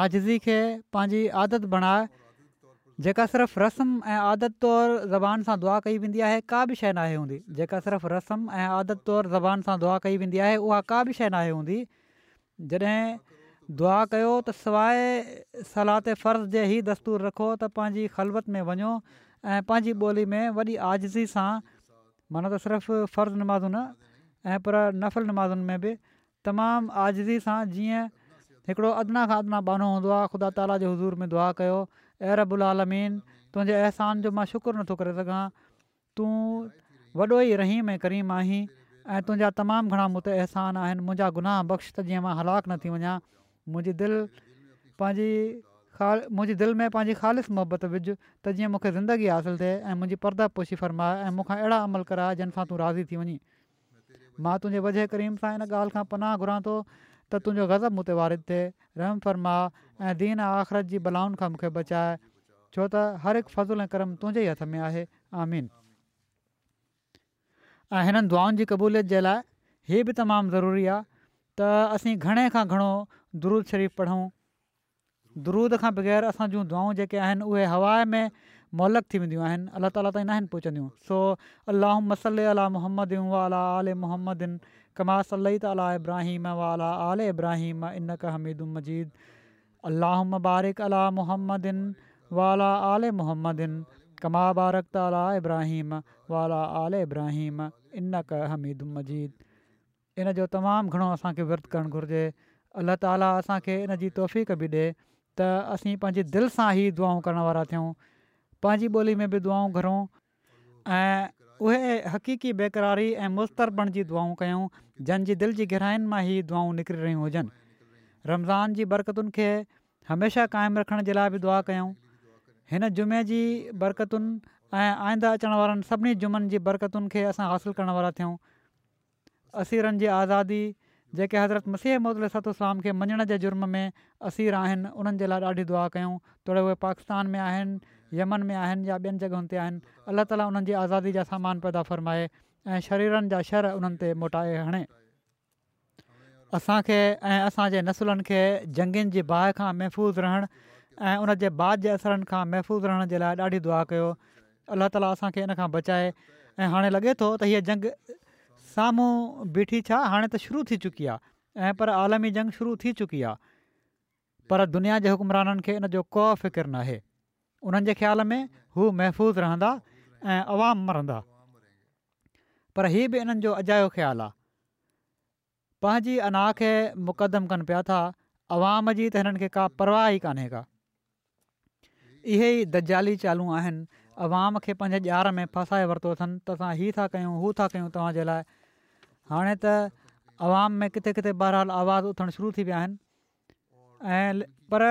عاجزي کي پنهنجي عادت بڻاء جيڪا صرف رسم ۽ عادت طور زبان سان دعا ڪئي ويندي آهي ڪا به شيء ناهي هوندي جيڪا صرف رسم ۽ عادت طور زبان سان دعا ڪئي ويندي آهي اها ڪا به شيء ناهي هوندي جڏهن دعا ڪيو ته سواء صلوة فرض جي هي دستور رکو ته پنهنجي خلوت ۾ وڃو ۽ پنهنجي ٻولي ۾ وڏي عاجزي سان معنيٰ ته صرف فرض نمازون نه ۽ پر نفل نمازن ۾ به تمام عاجزي سان جيئن هڪڙو ادنيٰ کان ادنيٰ ٻانهو هوندو آهي خدا تعاليٰ جي حضور ۾ دعا ڪيو اي رب العالمين تنهنجي احسان جو مان شڪر نٿو ڪري سگهان تون وڏو ئي رحيم ۽ ڪريم آهين ۽ تنهنجا تمام گهڻا مون تي احسان آهن، منهنجا گناهه بخش ته جيئن مان هلاڪ نه ٿي وڃان، منهنجي دل پنهنجي منهنجي دل ۾ پنهنجي خالص محبت وجهه ته جيئن مون کي زندگي حاصل ٿئي ۽ منهنجي پرده پوشي فرماء ۽ مون کان اهڙا عمل ڪراء جن سان تون راضي ٿي وڃين. مان تنهنجي وجه ڪريم سان ان ڳالهه کان پناهه گهران ٿو ته تنهنجو غضب مون تي وارد ٿئي، رحم فرماء ۽ دين ۽ آخرت جي بلائن کان مون کي بچاء، ڇو ته هر هڪ فضل ۽ ڪرم تنهنجي ئي هٿ ۾ آهي. آمين. ۽ هنن دعائن جي قبوليت جي لاء هي به تمام ضروري آهي ته اسين گهڻي کان گهڻو درود شريف پڙهون. درود کان بغير اسان جون دعائون جيڪي آهن اهي هوا ۾ معلق ٿي وينديون آهن، الله تعاليٰ تائين ناهن پهچنديون. سو اللهم صل علي محمد وعلي آل محمد ڪما صليت علي ابراهيم وعلي آل ابراهيم انڪ حميد مجيد. اللهم بارڪ علي محمد وعلي آل محمد ڪما بارڪت علي ابراهيم وعلي آل ابراهيم انڪ حميد مجيد. ان جو تمام گهڻو اسان کي ورد ڪرڻ گهرجي. الله تعاليٰ اسان کي ان جي توفيق به ڏي ته اسين پنهنجي دل سان ئي دعائون ڪرڻ وارا ٿيون، پنهنجي ٻولي ۾ به دعائون گهرون ۽ اهي حقيقي بيقراري ۽ مضطر بڻجي دعائون ڪيون جن جي دل جي گهراين مان هي دعائون نڪري رهيون هجن. رمضان جي برڪتن کي هميشه قائم رکڻ جي لاءِ به دعا ڪيون. هن جمعي جي برڪتن ۽ آئنده اچڻ وارن سڀني جمعن جي برڪتن کي اسان حاصل ڪرڻ وارا ٿيون. اسيرن جي آزادي، جيڪي حضرت مسيح موعود عليه الصلوة والسلام کي مڃڻ جي جرم ۾ اسير آهن انهن جي لاءِ ڏاڍي دعا ڪيون، توڙي اهي پاڪستان ۾ آهن، يمن ۾ آهن يا ٻين جڳهن تي آهن. الله تعاليٰ انهن جي آزادي جا سامان پيدا فرمائي ۽ شريرن جا شر انهن تي موٽائي هڻي. اسان کي ۽ اسان جي نسلن کي جنگين جي باهه کان محفوظ رهڻ ۽ ان جي بعد جي اثرن کان محفوظ رهڻ جي لاءِ ڏاڍي دعا ڪيو. الله تعاليٰ اسان کي ان کان بچائي. ۽ هاڻي لڳي ٿو ته هيءَ جنگ سامهون بيٺي ڇا هاڻي ته شروع ٿي چڪي آهي ۽ پر عالمي جنگ شروع ٿي چڪي آهي، پر دنيا جي حڪمرانن کي ان جو ڪو فڪر ناهي. انهن جي خيال ۾ هو محفوظ رهندا ۽ عوام مرندا، پر هي به انهن جو اجايو خيال آهي. پنهنجي انا کي مقدم ڪن پيا ٿا، عوام جي ته هنن کي ڪا پرواهه ئي ڪانهي ڪا. اهي ئي دجالي چالون آهن. عوام کي پنهنجي ڄار ۾ ڦاسائي ورتو اٿن ته اسان هي ٿا ڪيون هو ٿا ڪيون توهان جي لاءِ. هاڻي ته عوام ۾ ڪٿي ڪٿي بهرحال آواز اٿڻ شروع ٿي ويا آهن ۽ پر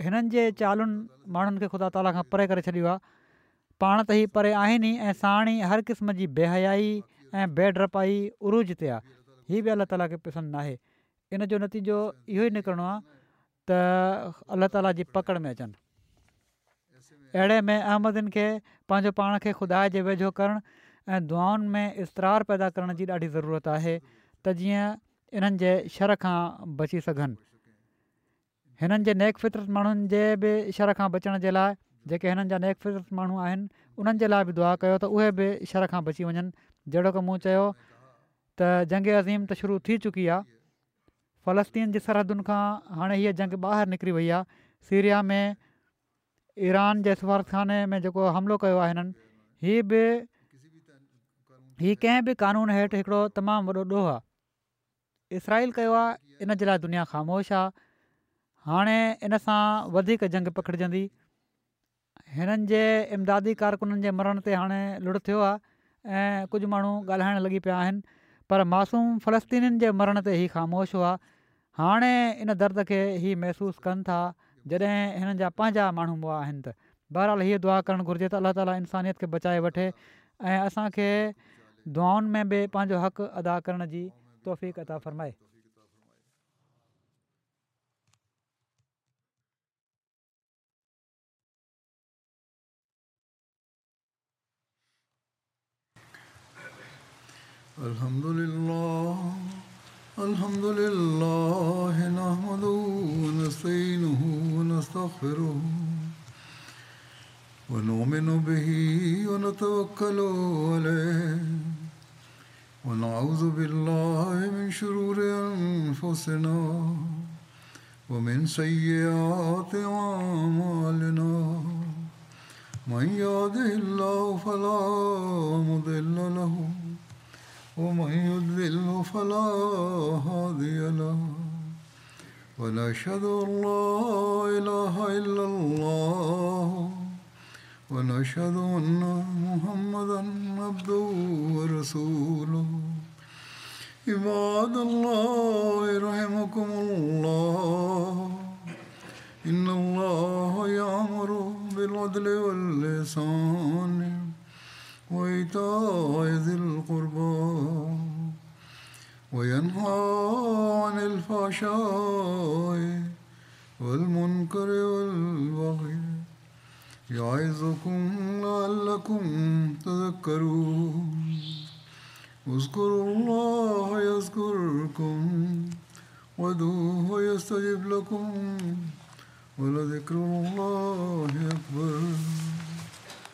هنن جي چالن ماڻهن کي خدا تعاليٰ کان پري ڪري ڇڏيو آهي. پاڻ ته هي پري آهن ئي ۽ ساڻ ئي هر قسم جي بي حيائي ۽ بي ڊپائي عروج تي آهي. هي به الله تعاليٰ کي پسند ناهي. ان جو نتيجو اهو ئي نڪرڻو آهي ته الله تعاليٰ جي پڪڙ ۾ اچن. اهڙي ۾ احمدين کي پنهنجو پاڻ کي خدا جي ويجهو ڪرڻ ۽ دعائن ۾ اضطرار پيدا ڪرڻ جي ڏاڍي ضرورت آهي ته جيئن انهن جي شر کان بچي سگهن. هنن جي نيڪ فطرت ماڻهن جي به شر کان بچڻ جي لاءِ، جيڪي هنن جا نيڪ فطرت ماڻهو آهن انهن جي لاءِ به دعا ڪيو ته اهي به شر کان بچي وڃن. جهڙوڪ مون چيو ته جنگ عظيم ته شروع ٿي چڪي آهي. فلسطين جي سرحدن کان هاڻي هيءَ جنگ ٻاهر نڪري وئي آهي. سيريا ۾ ايران جي سفارتخاني ۾ جيڪو حملو ڪيو آهي هنن، هي به هي ڪنهن به قانون هيٺ هڪڙو تمام وڏو ڏوهه آهي. اسرائيل ڪيو آهي، ان جي لاءِ دنيا خاموش آهي. هاڻي ان سان وڌيڪ جنگ پکڙجندي. هنن جي امدادي ڪارڪنن جي مرڻ تي هاڻي لڙ ٿيو آهي ۽ ڪجهه ماڻهو ڳالهائڻ لڳي پيا آهن، پر معصوم فلسطينين جي مرڻ تي هي خاموش هئا. هاڻي ان درد کي هي محسوس ڪن ٿا جڏهن هنن جا پنهنجا ماڻهو مئا آهن. ته بهرحال هيءَ دعا ڪرڻ گهرجي ته الله تعاليٰ انسانيت کي بچائي وٺي ۽ اسان کي دعائن ۾ به پنهنجو حق ادا ڪرڻ جي توفيق عطا فرمائي. الحمد لله الحمد لله نحمده ونستعينه ونستغفره ونؤمن به ونتوكل عليه ونعوذ بالله من شرور أنفسنا ومن سيئات أعمالنا من يهده الله فلا مضل له ومن يضلل فلا هادي له ونشهد أن لا إله إلا الله ونشهد أن محمدا عبده ورسوله. عباد الله رحمكم الله، إن الله يأمر بالعدل والإحسان وإيتاء ذي القربى وينهى عن الفحشاء والمنكر والبغي يعظكم لعلكم تذكرون. اذكروا الله يذكركم وادعوه يستجب لكم ولذكر الله أكبر.